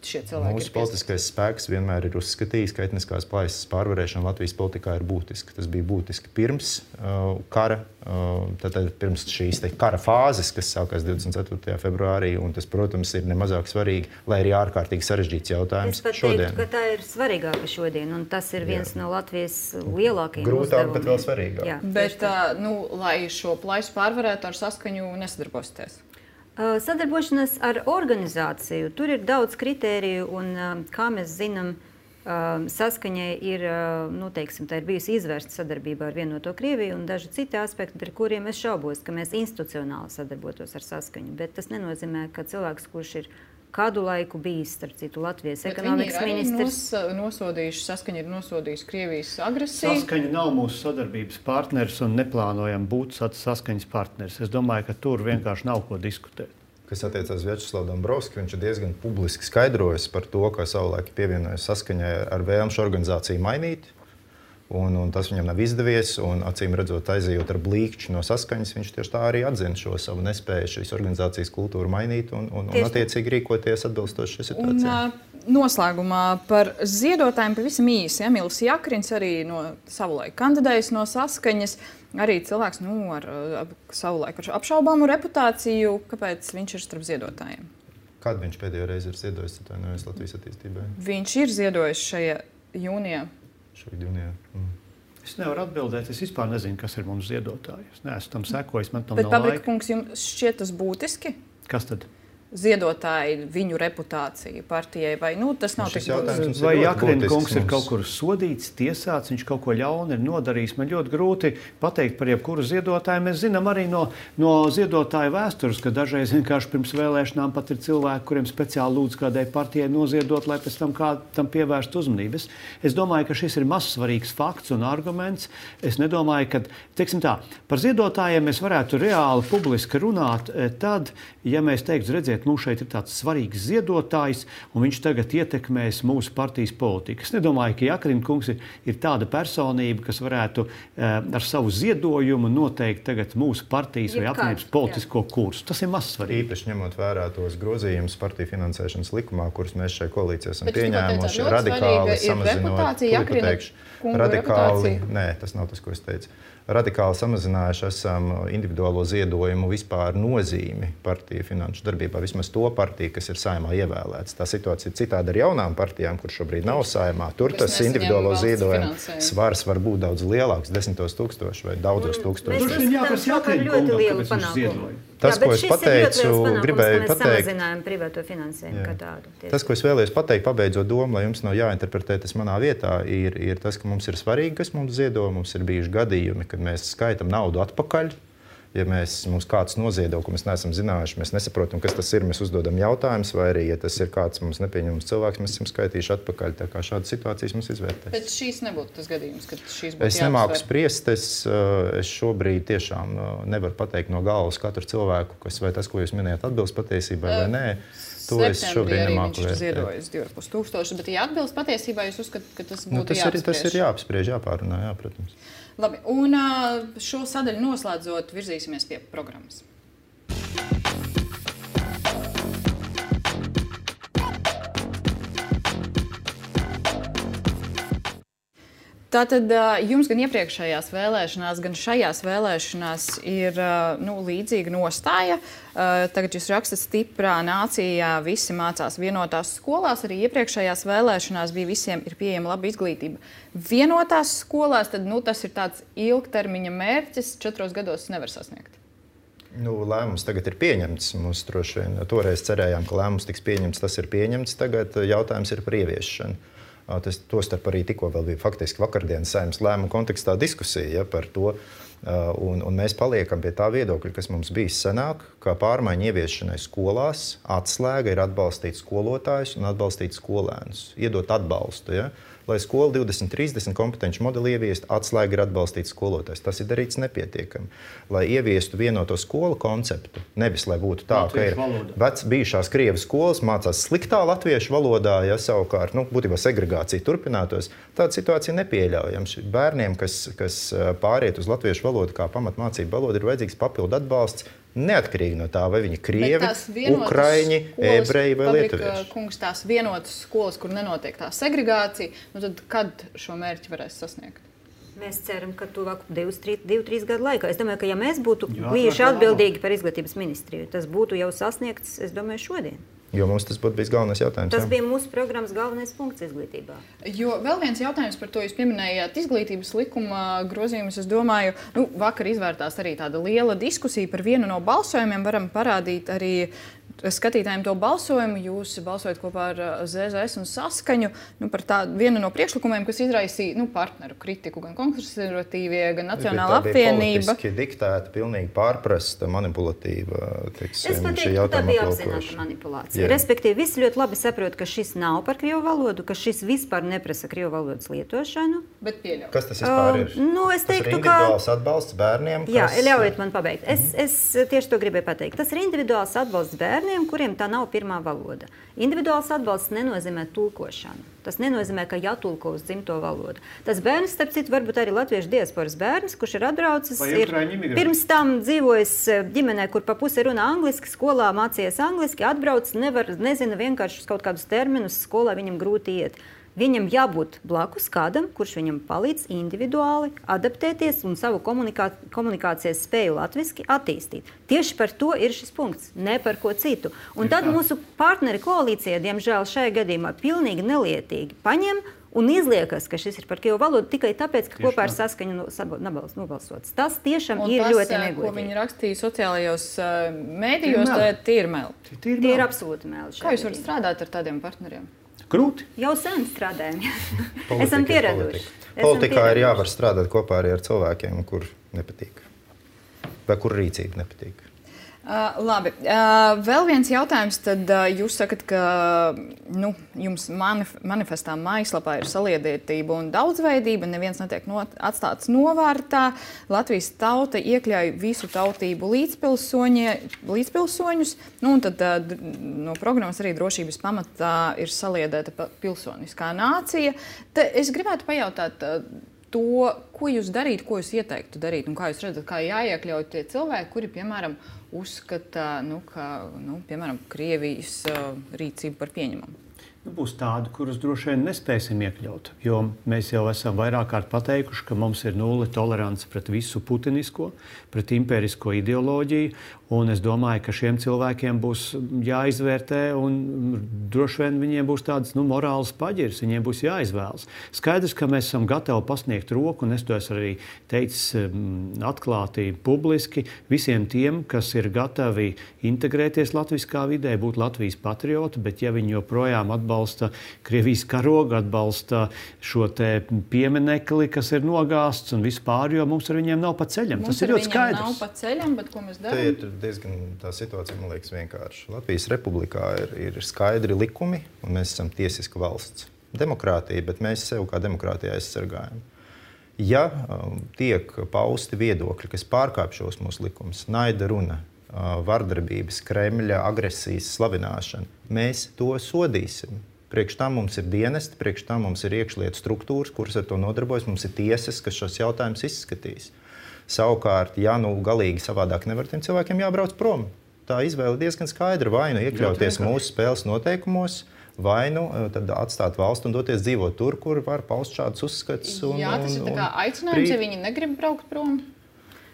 šie cilvēki Mūsu politiskais spēks vienmēr ir uzskatījis, ka etniskās plaisas pārvarēšana Latvijas politikā ir būtiska. Tas bija būtiski pirms uh, kara, uh, tātad pirms šīs te kara fāzes, kas sākās divdesmit ceturtajā februārī, un tas, protams, ir nemazāk svarīgi, lai arī ārkārtīgi sarežģīts jautājums šodien. Es pat teiktu, ka tā ir svarīgāka šodien, un tas ir viens Jā. no Latvijas lielākajiem Grūtāk, uzdevumiem. bet vēl svarīgāk. Jā, bet, uh, nu, lai šo plaisu pārvarētu ar saskaņu nesadarbosies. Uh, sadarbošanās ar organizāciju. Tur ir daudz kritēriju, un, uh, kā mēs zinām, uh, saskaņai ir, uh, nu, teiksim, tā ir bijusi izvērsta sadarbība ar vienoto Krieviju un daži citi aspekti, ar kuriem es šaubos, ka mēs institucionāli sadarbotos ar saskaņu. Bet tas nenozīmē, ka cilvēks, kurš ir kādu laiku bijis, starp citu, Latvijas Bet ekonomikas ministrs. Nos, nosodījuši, saskaņa ir nosodījusi Krievijas agresiju. Saskaņa nav mūsu sadarbības partneris un neplānojam būt saskaņas partneris. Es domāju, ka tur vienkārši nav ko diskutēt. Kas attiecās uz Vjačeslavu Dombrovski, viņš ir diezgan publiski skaidrojis par to, ka savulaik pievienojas saskaņai ar vēlmu šo organizāciju mainīt. Un, un tas viņam nav izdevies, un acīm redzot, aizejot ar blīkšķi no saskaņas, viņš tieši tā arī atzina šo savu nespēju šīs organizācijas kultūru mainīt un, un, un attiecīgi rīkoties atbilstoši šai situācijai. Un, uh, noslēgumā par ziedotājiem pavisam īsi. Emīls Jakrins arī no savulaik kandidējis no saskaņas. Arī cilvēks nu, ar uh, savulaik apšaubāmu reputāciju. Kāpēc viņš ir starp ziedotājiem? Kad viņš pēdējo reizi ir ziedojis Latvijas attīstībai? Viņš ir ziedojis šajā jūnijā. Mm. Es nevaru atbildēt. Es vispār nezinu, kas ir mums ziedotāji. Es neesmu tam sekojis. Man tam Bet, nav laika. Pabrika kungs, jums šķiet tas būtiski? Kas tad? Ziedotāji, viņu reputācija partijai, vai nu, tas nav tik būtiski? Vai Jakrina kungs ir kaut kur sodīts, tiesāts, viņš kaut ko ļaunu ir nodarījis? Man ļoti grūti pateikt par jebkuru ziedotāju. Mēs zinām arī no, no ziedotāju vēstures, ka dažreiz vienkārši pirms vēlēšanām pat ir cilvēki, kuriem speciāli lūdz kādai partijai noziedot, lai pēc tam kādam pievērst uzmanības. Es domāju, ka šis ir mazsvarīgs fakts un arguments. Es nedomāju, ka, teiksim tā, par ziedotājiem mēs varētu reāli publiski runāt tad, ja mēs teiktu, redziet, mums šeit ir tāds svarīgs ziedotājs, un viņš tagad ietekmēs mūsu partijas politiku. Es nedomāju, ka Jakrina kungs ir, ir tāda personība, kas varētu eh, ar savu ziedojumu noteikt tagad mūsu partijas vai apvienības politisko kursu. Tas ir mazsvarīgi. Īpaši ņemot vērā tos grozījumus partiju finansēšanas likumā, kurus mēs šai koalīcijā esam pieņēmuši, radikāli samazinot, radikāli, nē, tas nav tas, ko es teicu. Radikāli samazinājuši esam individuālo ziedojumu vispār nozīmi partiju finanšu darbībā, vismaz to partiju, kas ir Saeimā ievēlēts. Tā situācija ir citāda ar jaunām partijām, kur šobrīd nav Saeimā. Tur tas individuālo ziedojumu svars var būt daudz lielāks, desmitos tūkstoši vai daudzos tūkstošos. Mēs uzskatām, ka ļoti lielu panākumu. Tas, ko es pateicu, gribēju pateikt, privāto finansējumu kā tādu. Tas, ko es vēlējos pateikt, pabeidzot domu, lai jums nav jāinterpretē tas manā vietā, ir, ir tas, ka mums ir svarīgi, kas mums ziedo. Mums ir bijuši gadījumi, kad mēs skaitam naudu atpakaļ. Ja mēs, mums kāds noziedo, ko mēs neesam zinājuši, mēs nesaprotam, kas tas ir, mēs uzdodam jautājumus, vai arī, ja tas ir kāds mums nepieņemams cilvēks, mēs esam skaitījuši atpakaļ. Tā kā šādas situācijas mums izvērtēs. Bet šīs nebūtu tas gadījums, kad šīs būtu Es nemāku spriest, es, es šobrīd tiešām nevaru pateikt no galvas katru cilvēku, kas vai tas, ko jūs minējāt, atbilst patiesībai vai nē. To es šobrīd nemāku vērtēt. Ziedojis divi ar pus tūkstoši, bet ja atbilst patiesībā, jūs uzskatāt, ka tas būtu nu, tas jāapspriež? Ir, tas ir jāapspriež, jāpārunā, jā, protams. Labi, un šo sadaļu noslēdzot, virzīsimies pie programmas. Tātad jums gan iepriekšējās vēlēšanās, gan šajās vēlēšanās ir nu, līdzīga nostāja. Tagad jūs rakstat stiprā nācijā, visi mācās vienotās skolās. Arī iepriekšējās vēlēšanās bija visiem ir pieejama laba izglītība. Vienotās skolās, tad nu, tas ir tāds ilgtermiņa mērķis, četros gados nevar sasniegt. Nu, lēmums tagad ir pieņemts. Mums droši vien toreiz cerējām, ka lēmums tiks pieņemts. Tas ir pieņemts. Tagad jautājums ir par ieviešanu. Tas tostarp arī tikko vēl bija faktiski vakardienas Saeimas lēmuma kontekstā diskusija ja, par to. Un, un mēs paliekam pie tā viedokļa, kas mums bijis senāk, kā pārmaiņu ieviešanai skolās atslēga ir atbalstīt skolotājus un atbalstīt skolēnus, iedot atbalstu. Ja? Lai skola divdesmit trīsdesmit kompetenci modeli ieviestu, atslēga ir atbalstīt skolotājs. Tas ir darīts nepietiekami. Lai ieviestu vienoto skolu konceptu, nevis lai būtu tā, latviešu ka ir vec, bijušās Krievu skolas, mācās sliktā latviešu valodā, ja savukārt, nu, būtībā segregācija turpinātos, tāda situācija nepieļaujama. Bērniem, kas, kas pāriet uz latviešu valodu kā pamatmācību valodu, ir vajadzīgs papildu atbalsts, neatkarīgi no tā, vai viņi krievi, ukraiņi, ebreji vai lietuvieši. Kungs, tās vienotas skolas, kur nenotiek tā segregācija, nu tad kad šo mērķi varēs sasniegt? Mēs ceram, ka tuvāk divu, trīs gadu laikā. Es domāju, ka ja mēs būtu bijuši atbildīgi par izglītības ministriju, tas būtu jau sasniegts, es domāju, šodien. Jo mums tas būtu bijis galvenais jautājums. Tas jā. bija mūsu programmas galvenais punkts izglītībā. Jo vēl viens jautājums par to, jūs pieminējāt izglītības likuma grozījumus. Es domāju, nu, vakar izvērtās arī tāda liela diskusija par vienu no balsojumiem. Varam parādīt arī skatītājiem to balsojumu. Jūs balsojat kopā ar Z Z S un Saskaņu nu, par tā, vienu no priekšlikumiem, kas izraisīja nu, partneru kritiku, gan konservatīvie, gan Nacionāla apvienība. Politiski diktēta, pilnīgi pārprasta, manipulatīva. Teiksim, es pateiktu, ka tā bija apzināta manipulācija. Jā. Respektīvi, visi ļoti labi saprot, ka šis nav par krievu valodu, ka šis vispār neprasa krievu valodas lietošanu. Bet pieļauj. Kas tas vispār ir? Uh, nu, es teiktu, tas ir individuāls ka... atbalsts bērniem? Kas... Jā, ļaujiet man pabeigt. Es, es tieši to gribēju pateikt. Tas ir individuāls atbalsts bērniem, kuriem tā nav pirmā valoda. Individuāls atbalsts nenozīmē tulkošanu. Tas nenozīmē, ka jātulko uz dzimto valodu. Tas bērns, starp citu, varbūt arī latviešu diasporas bērns, kurš ir atbraucis, ir pirms tam dzīvojis ģimenē, kur pa pusi runā angliski, skolā mācījies angliski, atbrauc, nevar, nezina vienkārši uz kaut kādus terminus, skolā viņam grūti iet. Viņam jābūt blakus kādam, kurš viņam palīdz individuāli adaptēties un savu komunikā, komunikācijas spēju latviski attīstīt. Tieši par to ir šis punkts, ne par ko citu. Un tad mūsu partneri koalīcijā, diemžēl šajā gadījumā, pilnīgi nelietīgi paņem un izliekas, ka šis ir par krievu valodu tikai tāpēc, ka tieši kopā ar Saskaņu nobalsots. Tas tiešām un ir tas, ļoti negodīgi. Ko viņi rakstīja sociālajos uh, mēdījos, tie ir meli. Tie ir absolūti meli. Kā jūs varat strādāt ar tādiem partneriem? Grūti. Jau sen strādājam. Esam pieraduši. Politikā ir jāvar strādāt kopā arī ar cilvēkiem, kur nepatīk. Vai kur rīcība nepatīk. Uh, labi. Uh, vēl viens jautājums. Tad uh, jūs sakat, ka nu, jums manif manifestā mājaslapā ir saliedētība un daudzveidība. Neviens netiek no atstāts novārtā. Latvijas tauta iekļauj visu tautību līdzpilsoņus. Nu, un tad uh, no programmas arī drošības pamatā ir saliedēta pilsoniskā nācija. Te es gribētu pajautāt uh, to, ko jūs darītu, ko jūs ieteiktu darīt un kā jūs redzat, kā jāiekļauj tie cilvēki, kuri, piemēram, uzskata, nu, ka, nu, piemēram, Krievijas uh, rīcību par pieņemamu? Nu, būs tādi, kurus droši vien nespēsim iekļaut, jo mēs jau esam vairāk kārt pateikuši, ka mums ir nulle tolerance pret visu putinisko, pret impērisko ideoloģiju, un es domāju, ka šiem cilvēkiem būs jāizvērtē, un droši vien viņiem būs tāds nu, morāls paģirs, viņiem būs jāizvēlas. Skaidrs, ka mēs esam gatavi pasniegt roku, un es to esmu arī teicis atklāti publiski, visiem tiem, kas ir gatavi integrēties latviskā vidē, būt Latvijas patrioti, bet ja viņi joprojām atbalsta atbalsta Krievijas karogu, atbalsta šo te pieminekli, kas ir nogāsts un vispār, jo mums ar viņiem nav pa ceļam. Mums Tas ir ļoti skaidrs. Mums ar viņiem nav pa ceļam, bet ko mēs darām? Te ir diezgan tā situācija, man liekas, vienkārši. Latvijas republikā ir, ir skaidri likumi, un mēs esam tiesiska valsts. Demokrātija, bet mēs sev kā demokrātija aizsargājam. Ja um, tiek pausti viedokļi, kas pārkāpj šos mūsu likumus, naida runa, vardarbības, Kremļa agresijas slavināšana, mēs to sodīsim. Priekš tam mums ir dienesti, priekš tam mums ir iekšlietu struktūras, kuras ar to nodarbojas, mums ir tiesas, kas šos jautājumus izskatīs. Savukārt, ja nu galīgi savādāk nevar, tiem cilvēkiem jābrauc prom. Tā izvēle diezgan skaidra, vai nu iekļauties mūsu spēles noteikumos, vai nu tad atstāt valstu un doties dzīvot tur, kur var paust šādus uzskats. Un, Jā, tas ir tā kā aicinājums, ja viņi negrib braukt prom.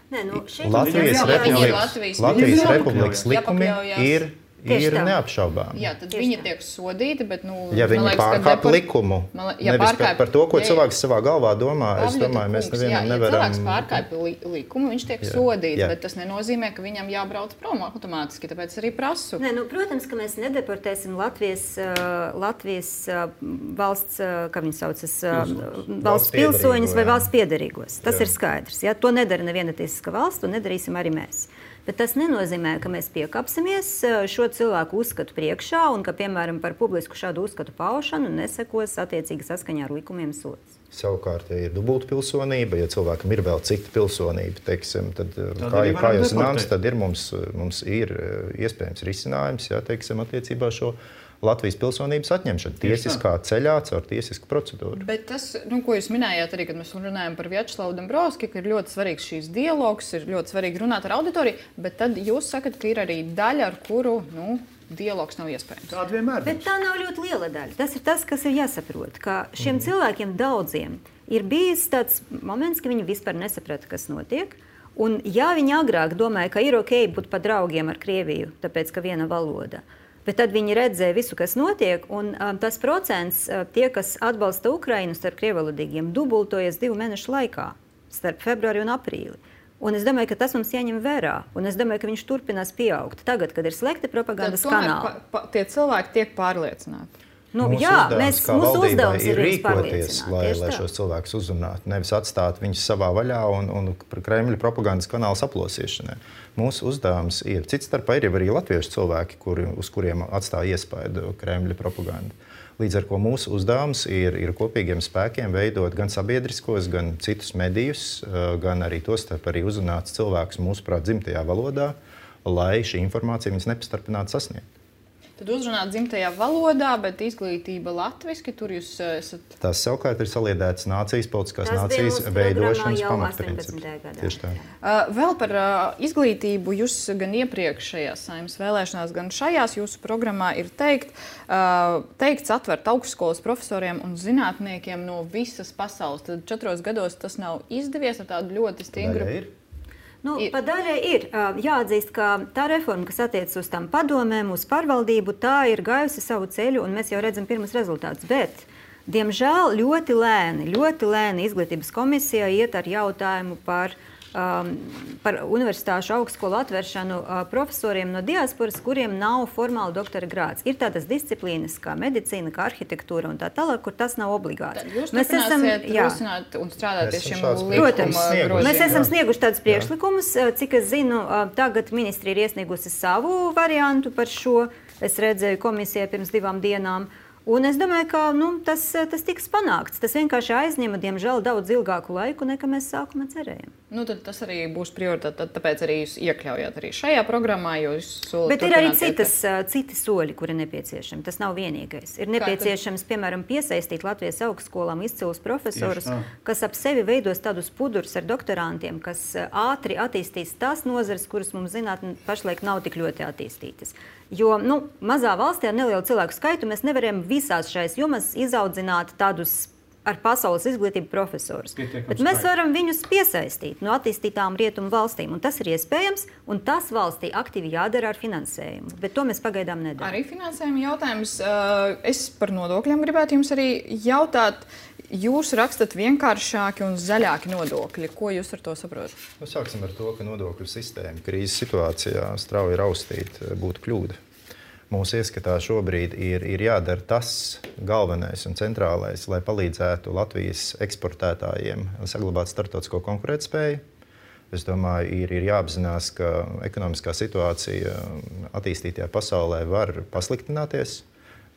Nē, nu, Latvijas, jā, Republikas, Latvijas, Latvijas jā, Republikas likumi ir, ir tā. neapšaubām. Jā, tad Tieši viņi tā. tiek sodīti, bet, nu, ja viņi pārkāp depor... likumu, man, ja nevis pārkāp... par, par to, ko jā, cilvēks savā galvā domā, es Pavļota domāju, mēs kungs, nevienam jā, nevaram... Ja cilvēks pārkāp li likumu, viņš tiek jā, sodīts, jā. bet tas nenozīmē, ka viņam jābrauc prom automātiski, tāpēc arī prasu. Nē, nu, protams, ka mēs nedeportēsim Latvijas, uh, Latvijas uh, valsts, uh, kā viņi saucas, uh, valsts, valsts pilsoņus vai valsts piederīgos. Tas jā. ir skaidrs. Ja? To nedara neviena tiesiska valsts, to nedarīsim arī mēs. Bet tas nenozīmē, ka mēs piekāpsimies šo cilvēku uzskatu priekšā un ka, piemēram, par publisku šādu uzskatu paušanu nesekos attiecīgi saskaņā ar likumiem sods. Savukārt, ja ir dubulta pilsonība, ja cilvēkam ir vēl cita pilsonība, teiksim, tad, tad kā, kā jūs zināms, tad ir mums, mums ir iespējams risinājums, jā, teiksim, attiecībā šo Latvijas pilsonības atņemšanu tiesiskā ceļā caur tiesisku procedūru. Bet tas, nu, ko jūs minējāt arī, kad mēs runājam par Vjačeslavu Dombrovski, ka ir ļoti svarīgs šīs dialogs, ir ļoti svarīgi runāt ar auditoriju, bet tad jūs sakat, ka ir arī daļa, ar kuru, nu, dialogs nav iespējams. Tāda vienmēr. Bet tā nav ļoti liela daļa. Tas ir tas, kas ir jāsaprot, ka šiem mm. cilvēkiem daudziem ir bijis tāds moments, ka viņi vispār nesaprata, kas notiek. Un ja viņi agrāk domāja, ka ir ok būt pa draugiem ar Krieviju, tāpēc, ka viena valoda, bet tad viņi redzēja visu, kas notiek, un um, tas procents, uh, tie, kas atbalsta Ukrainu starp krievalodīgiem, dubultojas divu mēnešu laikā, starp februāri un aprīli. Un es domāju, ka tas mums jāņem vērā, un es domāju, ka viņš turpinās pieaugt. Tagad, kad ir slēgti propagandas kanāli. Pa, pa, tie cilvēki tiek pārliecināti. Nu, mūsu jā, uzdevums, mēs, kā mūsu valdībai, uzdevums ir ir rīkoties, lai, lai tā. šos cilvēkus uzrunātu, nevis atstāt viņus savā vaļā un, un Kremļa propagandas kanāla aplosīšanai. Mūsu uzdevums ir, cits starpā ir arī latviešu cilvēki, kuri, uz kuriem atstāja iespaidu Kremļa propaganda. Līdz ar ko mūsu uzdevums ir, ir kopīgiem spēkiem veidot gan sabiedriskos, gan citus medijus, gan arī tos starp arī uzrunāt cilvēkus mūsuprāt dzimtajā valodā, lai šī informācija viņus nepastarpinātu sasniegt. Tad uzrunāt dzimtajā valodā, bet izglītība latviski, tur jūs esat... Tās savukārt ir saliedētas nācijas, politiskās nācijas veidošanas pamatprincips. Tieši tā. Uh, vēl par uh, izglītību jūs gan iepriekšējās Saeimas vēlēšanās, gan šajās jūsu programmā ir teikt, uh, teikts atvert augstskolas profesoriem un zinātniekiem no visas pasaules. Tad četros gados tas nav izdevies ar tādu ļoti stingru... Nu, pa daļai ir jāatzīst, ka tā reforma, kas attiecas uz tām padomēm, uz pārvaldību, tā ir gājusi savu ceļu, un mēs jau redzam pirmas rezultātus. Bet, diemžēl, ļoti lēni, ļoti lēni izglītības komisija iet ar jautājumu par, um, par universitāšu augstskolu atvēršanu uh, profesoriem no diasporas, kuriem nav formāli doktora grāds. Ir tādas disciplīnas kā medicīna, kā arhitektūra un tā tālāk, kur tas nav obligāti. Tad jūs mēs esam rosināt un strādāt pie šiem Protams, mēs esam snieguši tādus priekšlikumus. Cik es zinu, tagad ministri ir iesniegusi savu variantu par šo. Es redzēju komisijai pirms divām dienām. Un es domāju, ka nu, tas, tas tiks panākts. Tas vienkārši aizņema, diemžēl, daudz ilgāku laiku, nekā mēs sākumā cerējām. Nu, tad tas arī būs prioritāte. Tāpēc arī jūs iekļaujat arī šajā programmā. Bet ir arī citas, citi soļi, kuri nepieciešami. Tas nav vienīgais. Ir nepieciešams, piemēram, piesaistīt Latvijas augstskolām izcilus profesorus, kas ap sevi veidos tādus pudurus ar doktorantiem, kas ātri attīstīs tās nozares, kuras mums zinātnē pašlaik nav tik ļoti attīstītas. Jo nu, mazā valstī ar nelielu cilvēku skaitu mēs nevaram visās šais jomās izaudzināt tādus ar pasaules izglītību profesorus. Bet mēs varam viņus piesaistīt no attīstītām rietumu valstīm. Un tas ir iespējams, un tas valstī aktīvi jādara ar finansējumu. Bet to mēs pagaidām nedarām. Arī finansējuma jautājums. Es par nodokļiem gribētu jums arī jautāt. Jūs rakstat vienkāršāki un zaļāki nodokļi. Ko jūs ar to saprotat? Nu, sāksim ar to, ka nodokļu sistēma krīzes situācijā strauji raustīt būtu kļūda. Mūsu ieskatā šobrīd ir, ir jādara tas galvenais un centrālais, lai palīdzētu Latvijas eksportētājiem saglabāt starptautisko konkurētspēju. Es domāju, ir, ir jāapzinās, ka ekonomiskā situācija attīstītajā pasaulē var pasliktināties.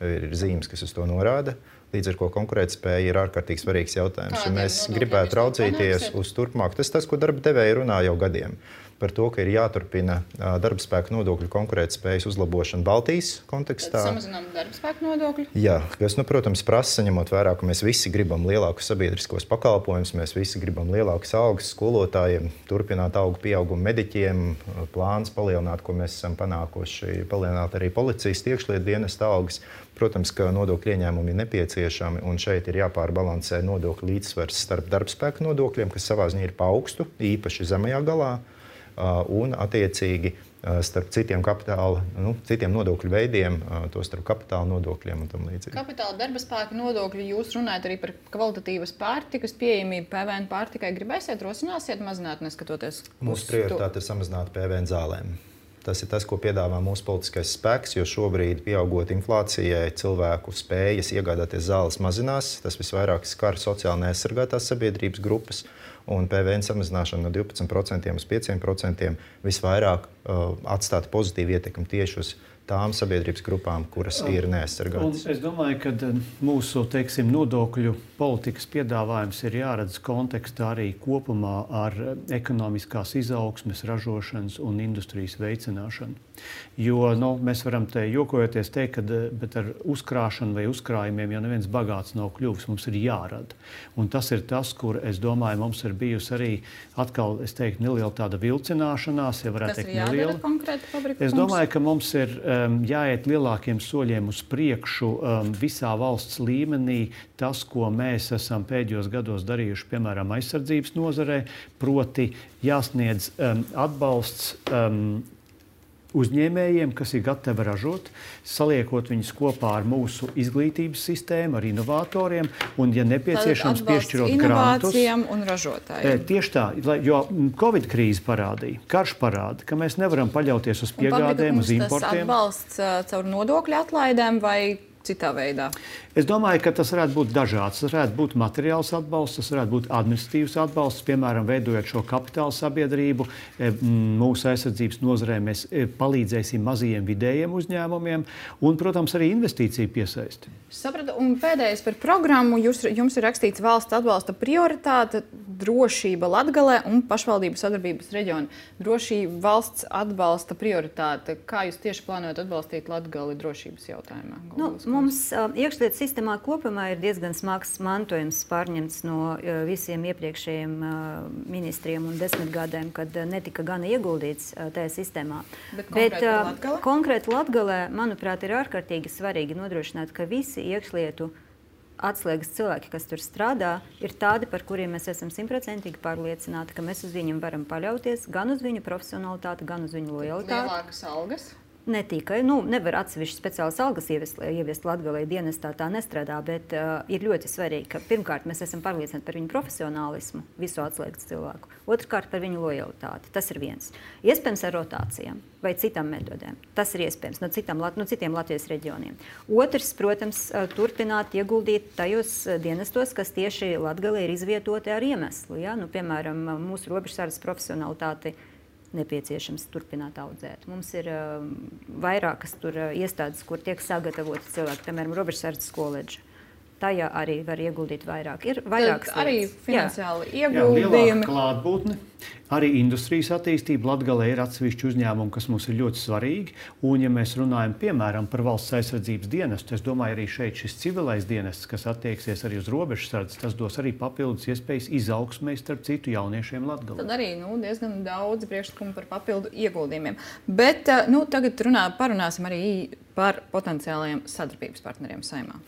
Ir zīmes, kas uz to norāda. Līdz ar ko konkurētspēja ir ārkārtīgi svarīgs jautājums. Ja mēs gribētu raudzīties uz turpmāk, tas tas, ko darba devēji runā jau gadiem. par to, ka ir jāturpina darba spēka nodokļu konkurētspējas uzlabošana Baltijas kontekstā. Tad samazinām darba spēka nodokļu? Jā, kas, nu, protams, prasa, ņemot vērā, ka mēs visi gribam lielākus sabiedriskos pakalpojumus, mēs visi gribam lielākas algas skolotājiem, turpināt augu pieaugumu mediķiem, plāns palielināt, ko mēs esam panākuši, palielināt arī policijas iekšlietu dienesta algas. Protams, ka nodokļu ieņēmumi ir nepieciešami, un šeit ir jāpārbalansē nodokļu līdzsvars starp darbspēka nodokļiem, kas savā ziņā ir pa augstu, īpaši zemajā galā, un attiecīgi starp citiem kapitāla, nu, citiem nodokļu veidiem, to starp kapitāla nodokļiem un tam līdzīgi. Kapitāla darba spēka nodokļi, jūs runājat arī par kvalitatīvas pārtikas pieejamību, P V N pārtikai. Gribēsiet, rosināsiet mazināt, neskatoties? Mūsu prioritāte ir samazināt P V N zālēm. Tas ir tas, ko piedāvā mūsu politiskais spēks, jo šobrīd, pieaugot inflācijai, cilvēku spējas iegādāties zāles mazinās. Tas visvairāk skar sociāli neaizsargātās sabiedrības grupas, un P V N samazināšana no divpadsmit procentiem uz pieciem procentiem visvairāk uh, atstātu pozitīvu ietekmi tieši uz tām sabiedrības grupām, kuras ir neaizsargātas. Un es domāju, ka mūsu, teiksim, nodokļu politikas piedāvājums ir jāredz kontekstā arī kopumā ar ekonomiskās izaugsmes, ražošanas un industrijas veicināšanu. Jo nu, mēs varam te jokojoties teikt, ka bet ar uzkrāšanu vai uzkrājumiem jau neviens bagāts nav kļuvis, mums ir jārada. Un tas ir tas, kur, es domāju, mums ir bijusi arī atkal, es teiktu, neliela tāda vilcināšanās, ja varētu teikt neliela. Tas ir jādara konkrēti fabriku? Es domāju, ka mums ir um, jāiet lielākiem soļiem uz priekšu um, visā valsts līmenī. Tas, ko mēs esam pēdējos gados darījuši, piemēram, aizsardzības nozarē, proti jāsniedz um, atbalsts um, uzņēmējiem, kas ir gatavi ražot, saliekot viņus kopā ar mūsu izglītības sistēmu, ar inovatoriem, un, ja nepieciešams, piešķirot grantus. Inovācijām un ražotājiem. Tieši tā, jo Covid krīze parādīja, karš parāda, ka mēs nevaram paļauties uz piegādēm, uz importiem. Tas atbalsts caur nodokļu atlaidēm vai citā veidā? Es domāju, ka tas varētu būt dažāds. Tas varētu būt materiāls atbalsts, tas varētu būt administratīvs atbalsts, piemēram, veidojot šo kapitāla sabiedrību. Mūsu aizsardzības nozarē mēs palīdzēsim mazajiem vidējiem uzņēmumiem un, protams, arī investīciju piesaisti. Sapratu, un pēdējais par programmu. Jūs, jums ir rakstīts valsts atbalsta prioritāte, drošība Latgalē un pašvaldību sadarbības reģioni. Drošība valsts atbalsta prioritāte. Kā jūs tieši plānojat atbalstīt Latgali drošības jautājumā? Nu, mums uh, iekšlietu sistēmā kopumā ir diezgan smags mantojums pārņemts no uh, visiem iepriekšējiem uh, ministriem un desmitgadēm, kad uh, netika gana ieguldīts uh, tajā sistēmā. Bet konkrēti uh, Latgale? Konkrēti Latgalē, manuprāt, ir ārkārtīgi svarīgi nodrošināt, ka visi iekšlietu atslēgas cilvēki, kas tur strādā, ir tādi, par kuriem mēs esam simtprocentīgi pārliecināti, ka mēs uz viņiem varam paļauties, gan uz viņu profesionalitāti, gan uz viņu lojalitāti. Lielākas algas? Ne tikai, nu, nevar atsevišķi speciālas algas ieviest, ieviest Latgalē dienestā, tā nestrādā, bet uh, ir ļoti svarīgi, ka pirmkārt mēs esam pārliecināti par viņu profesionālismu, visu atslēgas cilvēku, otrkārt par viņu lojalitāti. Tas ir viens. Iespējams ar rotācijām vai citām metodēm. Tas ir iespējams no, citām, no citiem Latvijas reģioniem. Otrs, protams, turpināt ieguldīt tajos dienestos, kas tieši Latgalē ir izvietoti ar iemeslu. Ja? Nu, piemēram, mūsu robežsardas profesionalitāti nepieciešams turpināt audzēt. Mums ir uh, vairākas tur uh, iestādes, kur tiek sagatavoti cilvēki, piemēram, robežsardas koledža. Tajā arī var ieguldīt vairāk. Ir vairākas arī lietas. finansiāli Jā. ieguldījumi. Jā, klātbūtne. Arī industrijas attīstība. Latgalē ir atsevišķi uzņēmumi, kas mums ir ļoti svarīgi. Un, ja mēs runājam, piemēram, par valsts aizsardzības dienestu, es domāju, arī šeit šis civilais dienests, kas attieksies arī uz robežsardas, tas dos arī papildus iespējas izaugsmē starp citu jauniešiem Latgalē. Tad arī nu, diezgan daudz priekšlikumu par papildu ieguldījumiem. Bet nu, tagad runā, parunāsim arī par potenciālajiem sadarbības partneriem Saeimā.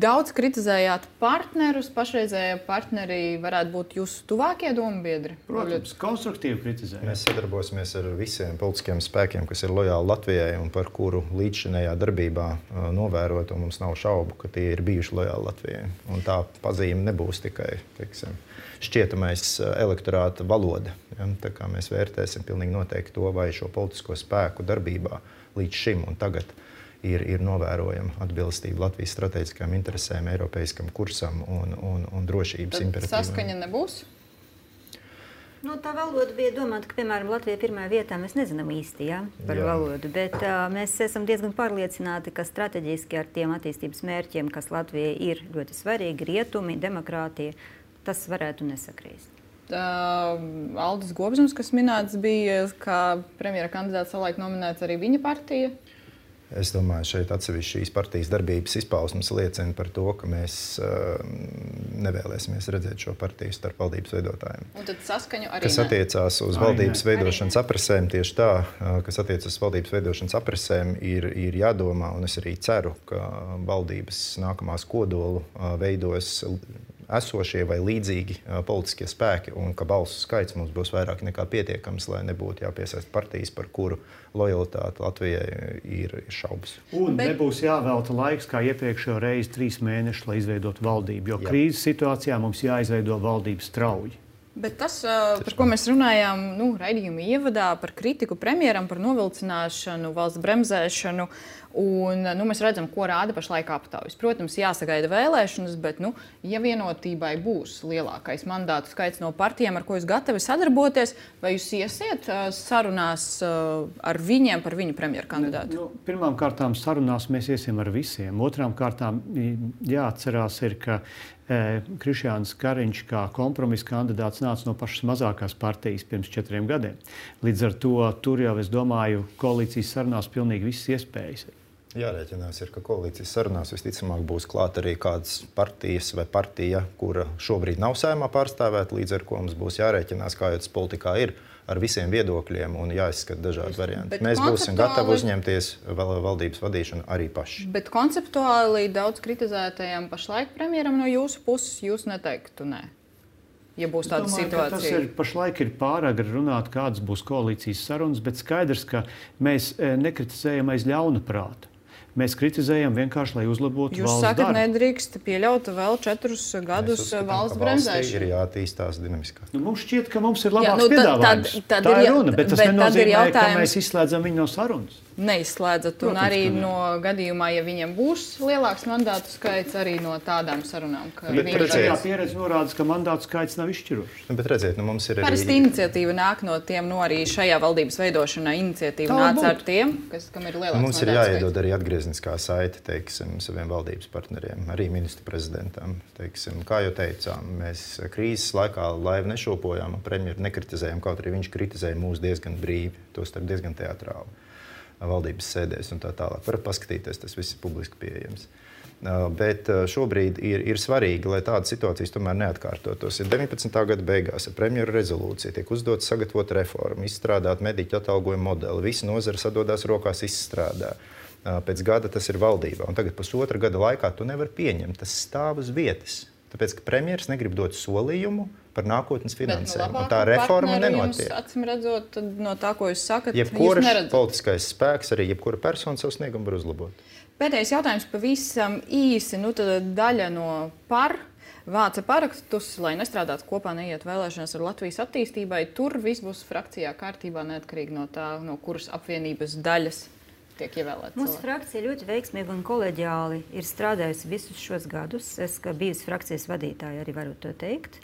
Daudz kritizējāt partnerus. Pašreizējie partneri varētu būt jūsu tuvākie dombiedri? Protams, konstruktīvi kritizējam. Mēs sadarbosimies ar visiem politiskiem spēkiem, kas ir lojāli Latvijai un par kuru līdzšinējā darbībā uh, novērot, un mums nav šaubu, ka tie ir bijuši lojāli Latvijai. Un tā pazīme nebūs tikai, teiksim, šķietamais elektorāta valoda. Ja? Tā kā mēs vērtēsim pilnīgi noteikti to, vai šo politisko spēku darbībā līdz šim un tagad ir, ir novērojama atbilstība Latvijas strateģiskajām interesēm, eiropeiskam kursam un, un, un drošības imperatīviem. Saskaņa nebūs? Nu, tā valoda bija domāta, ka, piemēram, Latvija pirmajā vietā mēs nezinām īsti ja, par Jā. valodu, bet uh, mēs esam diezgan pārliecināti, ka strateģiski ar tiem attīstības mērķiem, kas Latvijai ir ļoti svarīgi, rietumi, demokrātija, tas varētu nesakrīst. Uh, Aldis Gobzums, kas minēts bija, kā premjera kandidāts savulaik nominēts arī viņa partija. Es domāju, šeit atsevišķi šīs partijas darbības izpausmes liecina par to, ka mēs uh, nevēlēsimies redzēt šo partiju starp valdības veidotājiem. Un tad saskaņu arī Kas attiecās uz valdības veidošanas aprasēm, tieši tā, uh, kas attiecas uz valdības veidošanas aprasēm, ir, ir jādomā, un es arī ceru, ka valdības nākamās kodolu uh, veidos esošie vai līdzīgi uh, politiskie spēki, un ka balsu skaits mums būs vairāk nekā pietiekams, lai nebūtu jāpiesaist partijas, par kuru lojalitāte Latvijai ir šaubas. Un Bet... nebūs jāvelta laiks, kā iepriekšējo reizi, trīs mēnešus, lai izveidotu valdību, jo Jā. krīzes situācijā mums jāizveido valdību strauji. Bet tas, par ko mēs runājām nu, raidījuma ievadā, par kritiku premjeram, par novilcināšanu, valsts bremzēšanu, un nu, mēs redzam, ko rāda pašlaik aptaujas. Protams, jāsagaida vēlēšanas, bet, nu, ja vienotībai būs lielākais mandātu skaits no partijām, ar ko jūs gatavi sadarboties, vai jūs iesiet sarunās ar viņiem par viņu premjeru kandidātu? Nu, pirmām kārtām sarunās mēs iesim ar visiem. Otrām kārtām jāatcerās ir, ka e, Krišjāns Kariņš kā kompromisa kandidāts nāca no pašas mazākās partijas pirms četriem gadiem. Līdz ar to tur jau, es domāju, koalīcijas sarunās pilnīgi visas iespējas. Jārēķinās, ir, ka koalīcijas sarunās visticamāk būs klāt arī kādas partijas vai partija, kura šobrīd nav Saeimā pārstāvēta, līdz ar ko mums būs jārēķinās, kā jau tas politikā ir, ar visiem viedokļiem un jāizskata dažādi varianti. Bet Mēs būsim gatavi konceptuāli- uzņemties valdības vadīšanu arī paši. Bet konceptuāli daudz kritizētajam pašlaik premjeram no jūsu puses jūs neteiktu nē, ja būs tāda Domāju, situācija. Tas ir, pašlaik ir pāragri runāt, kādas būs koalīcijas sarunas, bet skaidrs, ka mēs e, nekritizējam aiz ļauna prāta. Mēs kritizējam vienkārši, lai uzlabotu Jūs valsts sakat, darbu. nedrīkst pieļaut vēl četrus gadus Mēs uzskatām, valsts ka valstī bremzēšanu. ir jātīstās dinamiskāk. Nu, mums šķiet, ka mums ir Jā, labāks nu, tad- piedāvājums. tad- tad Tā ir ir jā- runa, bet tas bet tad ir nenozīmē, ka jautājums- mēs izslēdzam viņu no sarunas. Neizslēdzat, un Protams, arī ka nē. no gadījumā, ja viņiem būs lielāks mandātu skaits, arī no tādām sarunām, ka Bet viņi Iepriekšējā redzēs. pieredze norāda, ka mandātu skaits nav izšķirošs. Nu, bet redziet, nu, mums ir arī... Parasti iniciatīva nāk no tiem, no arī šajā valdības veidošanā iniciatīva Tā nāca ar būtu. tiem, kas, kam ir lielāks Mums ir mandātu jāiedod skaits. arī atgriezniskā saite, teiksim, saviem valdības partneriem, arī ministru prezidentam. Teiksim, kā jau teicām, mēs krīzes laikā laivu nešopojām un premjeru nekritizējām, kaut arī viņš kritizēja mūs diezgan brīvi, tostarp diezgan teatrāli valdības sēdēs un tā tālāk. Varat paskatīties, tas viss ir publiski pieejams. Uh, Bet uh, šobrīd ir, ir svarīgi, lai tādas situācijas tomēr neatkārtotos. Ir deviņpadsmitā gada beigās ar premjeru rezolūciju tiek uzdots sagatavot reformu, izstrādāt mediķu atalgojumu modeli. Visi nozara sadodās rokās izstrādā. Uh, Pēc gada tas ir valdībā. Un tagad pusotra gada laikā to nevar pieņemt. Tas stāv uz vietas. Tāpēc, ka premjeras negrib dot solījumu par nākotnes finansējumu. Un tā reforma nenotiek. Acīm redzot, tad no tā, ko jūs sakat, Jebkurš jūs neredzat. politiskais spēks, arī jebkura persona savu sniegumu var uzlabot. Pēdējais jautājums pavisam īsi. Nu, tad daļa no par vāca parakstus, lai nestrādātu kopā, neiet vēlēšanas ar Latvijas attīstībai. Tur viss būs frakcijā kārtībā, neatkarīgi no tā, no kuras apvienības daļas tiek ievēlēta. Mūsu frakcija ļoti veiksmīgi un koleģiāli ir strādājusi visus šos gadus. Es, kā bijusi frakcijas vadītāja, arī varu to teikt.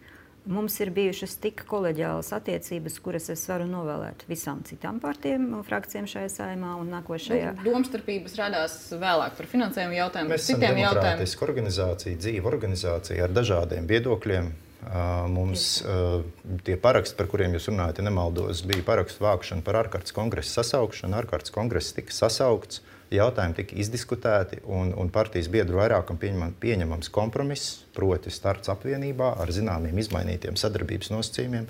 Mums ir bijušas tik koleģiālas attiecības, kuras es varu novēlēt visām citām partijām un frakcijām šajā saimā un nākošajā. Nu, domstarpības radās vēlāk par finansējumu jautājumu, Mēs esam citiem jautājumiem. demokrātiska organizācija, dzīva organizācija ar dažādiem viedokļiem. Uh, Mums uh, tie paraksti, par kuriem jūs runājat, ja nemaldos, bija parakstu vākšana par ārkārtas kongresa sasaukšanu. Ārkārtas kongress tika sasaukts, jautājumi tika izdiskutēti un, un partijas biedru vairākam pieņemam, pieņemams kompromiss, proti starts apvienībā ar zināmiem izmainītiem sadarbības nosacījumiem,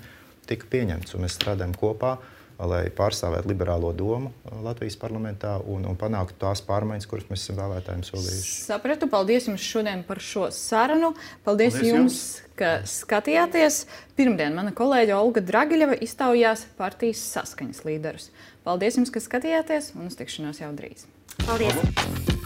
tika pieņemts. Un mēs strādājam kopā, lai pārstāvētu liberālo domu Latvijas parlamentā un, un panāktu tās pārmaiņas, kuras mēs esam vēlētājiem solījuši. Sapratu, paldies jums šodien par šo sarunu. Paldies, Paldies jums, jums, ka skatījāties. Pirmdien mana kolēģe Olga Dragiļeva iztaujās partijas Saskaņas līderus. Paldies jums, ka skatījāties un uz tikšanos jau drīz. Paldies!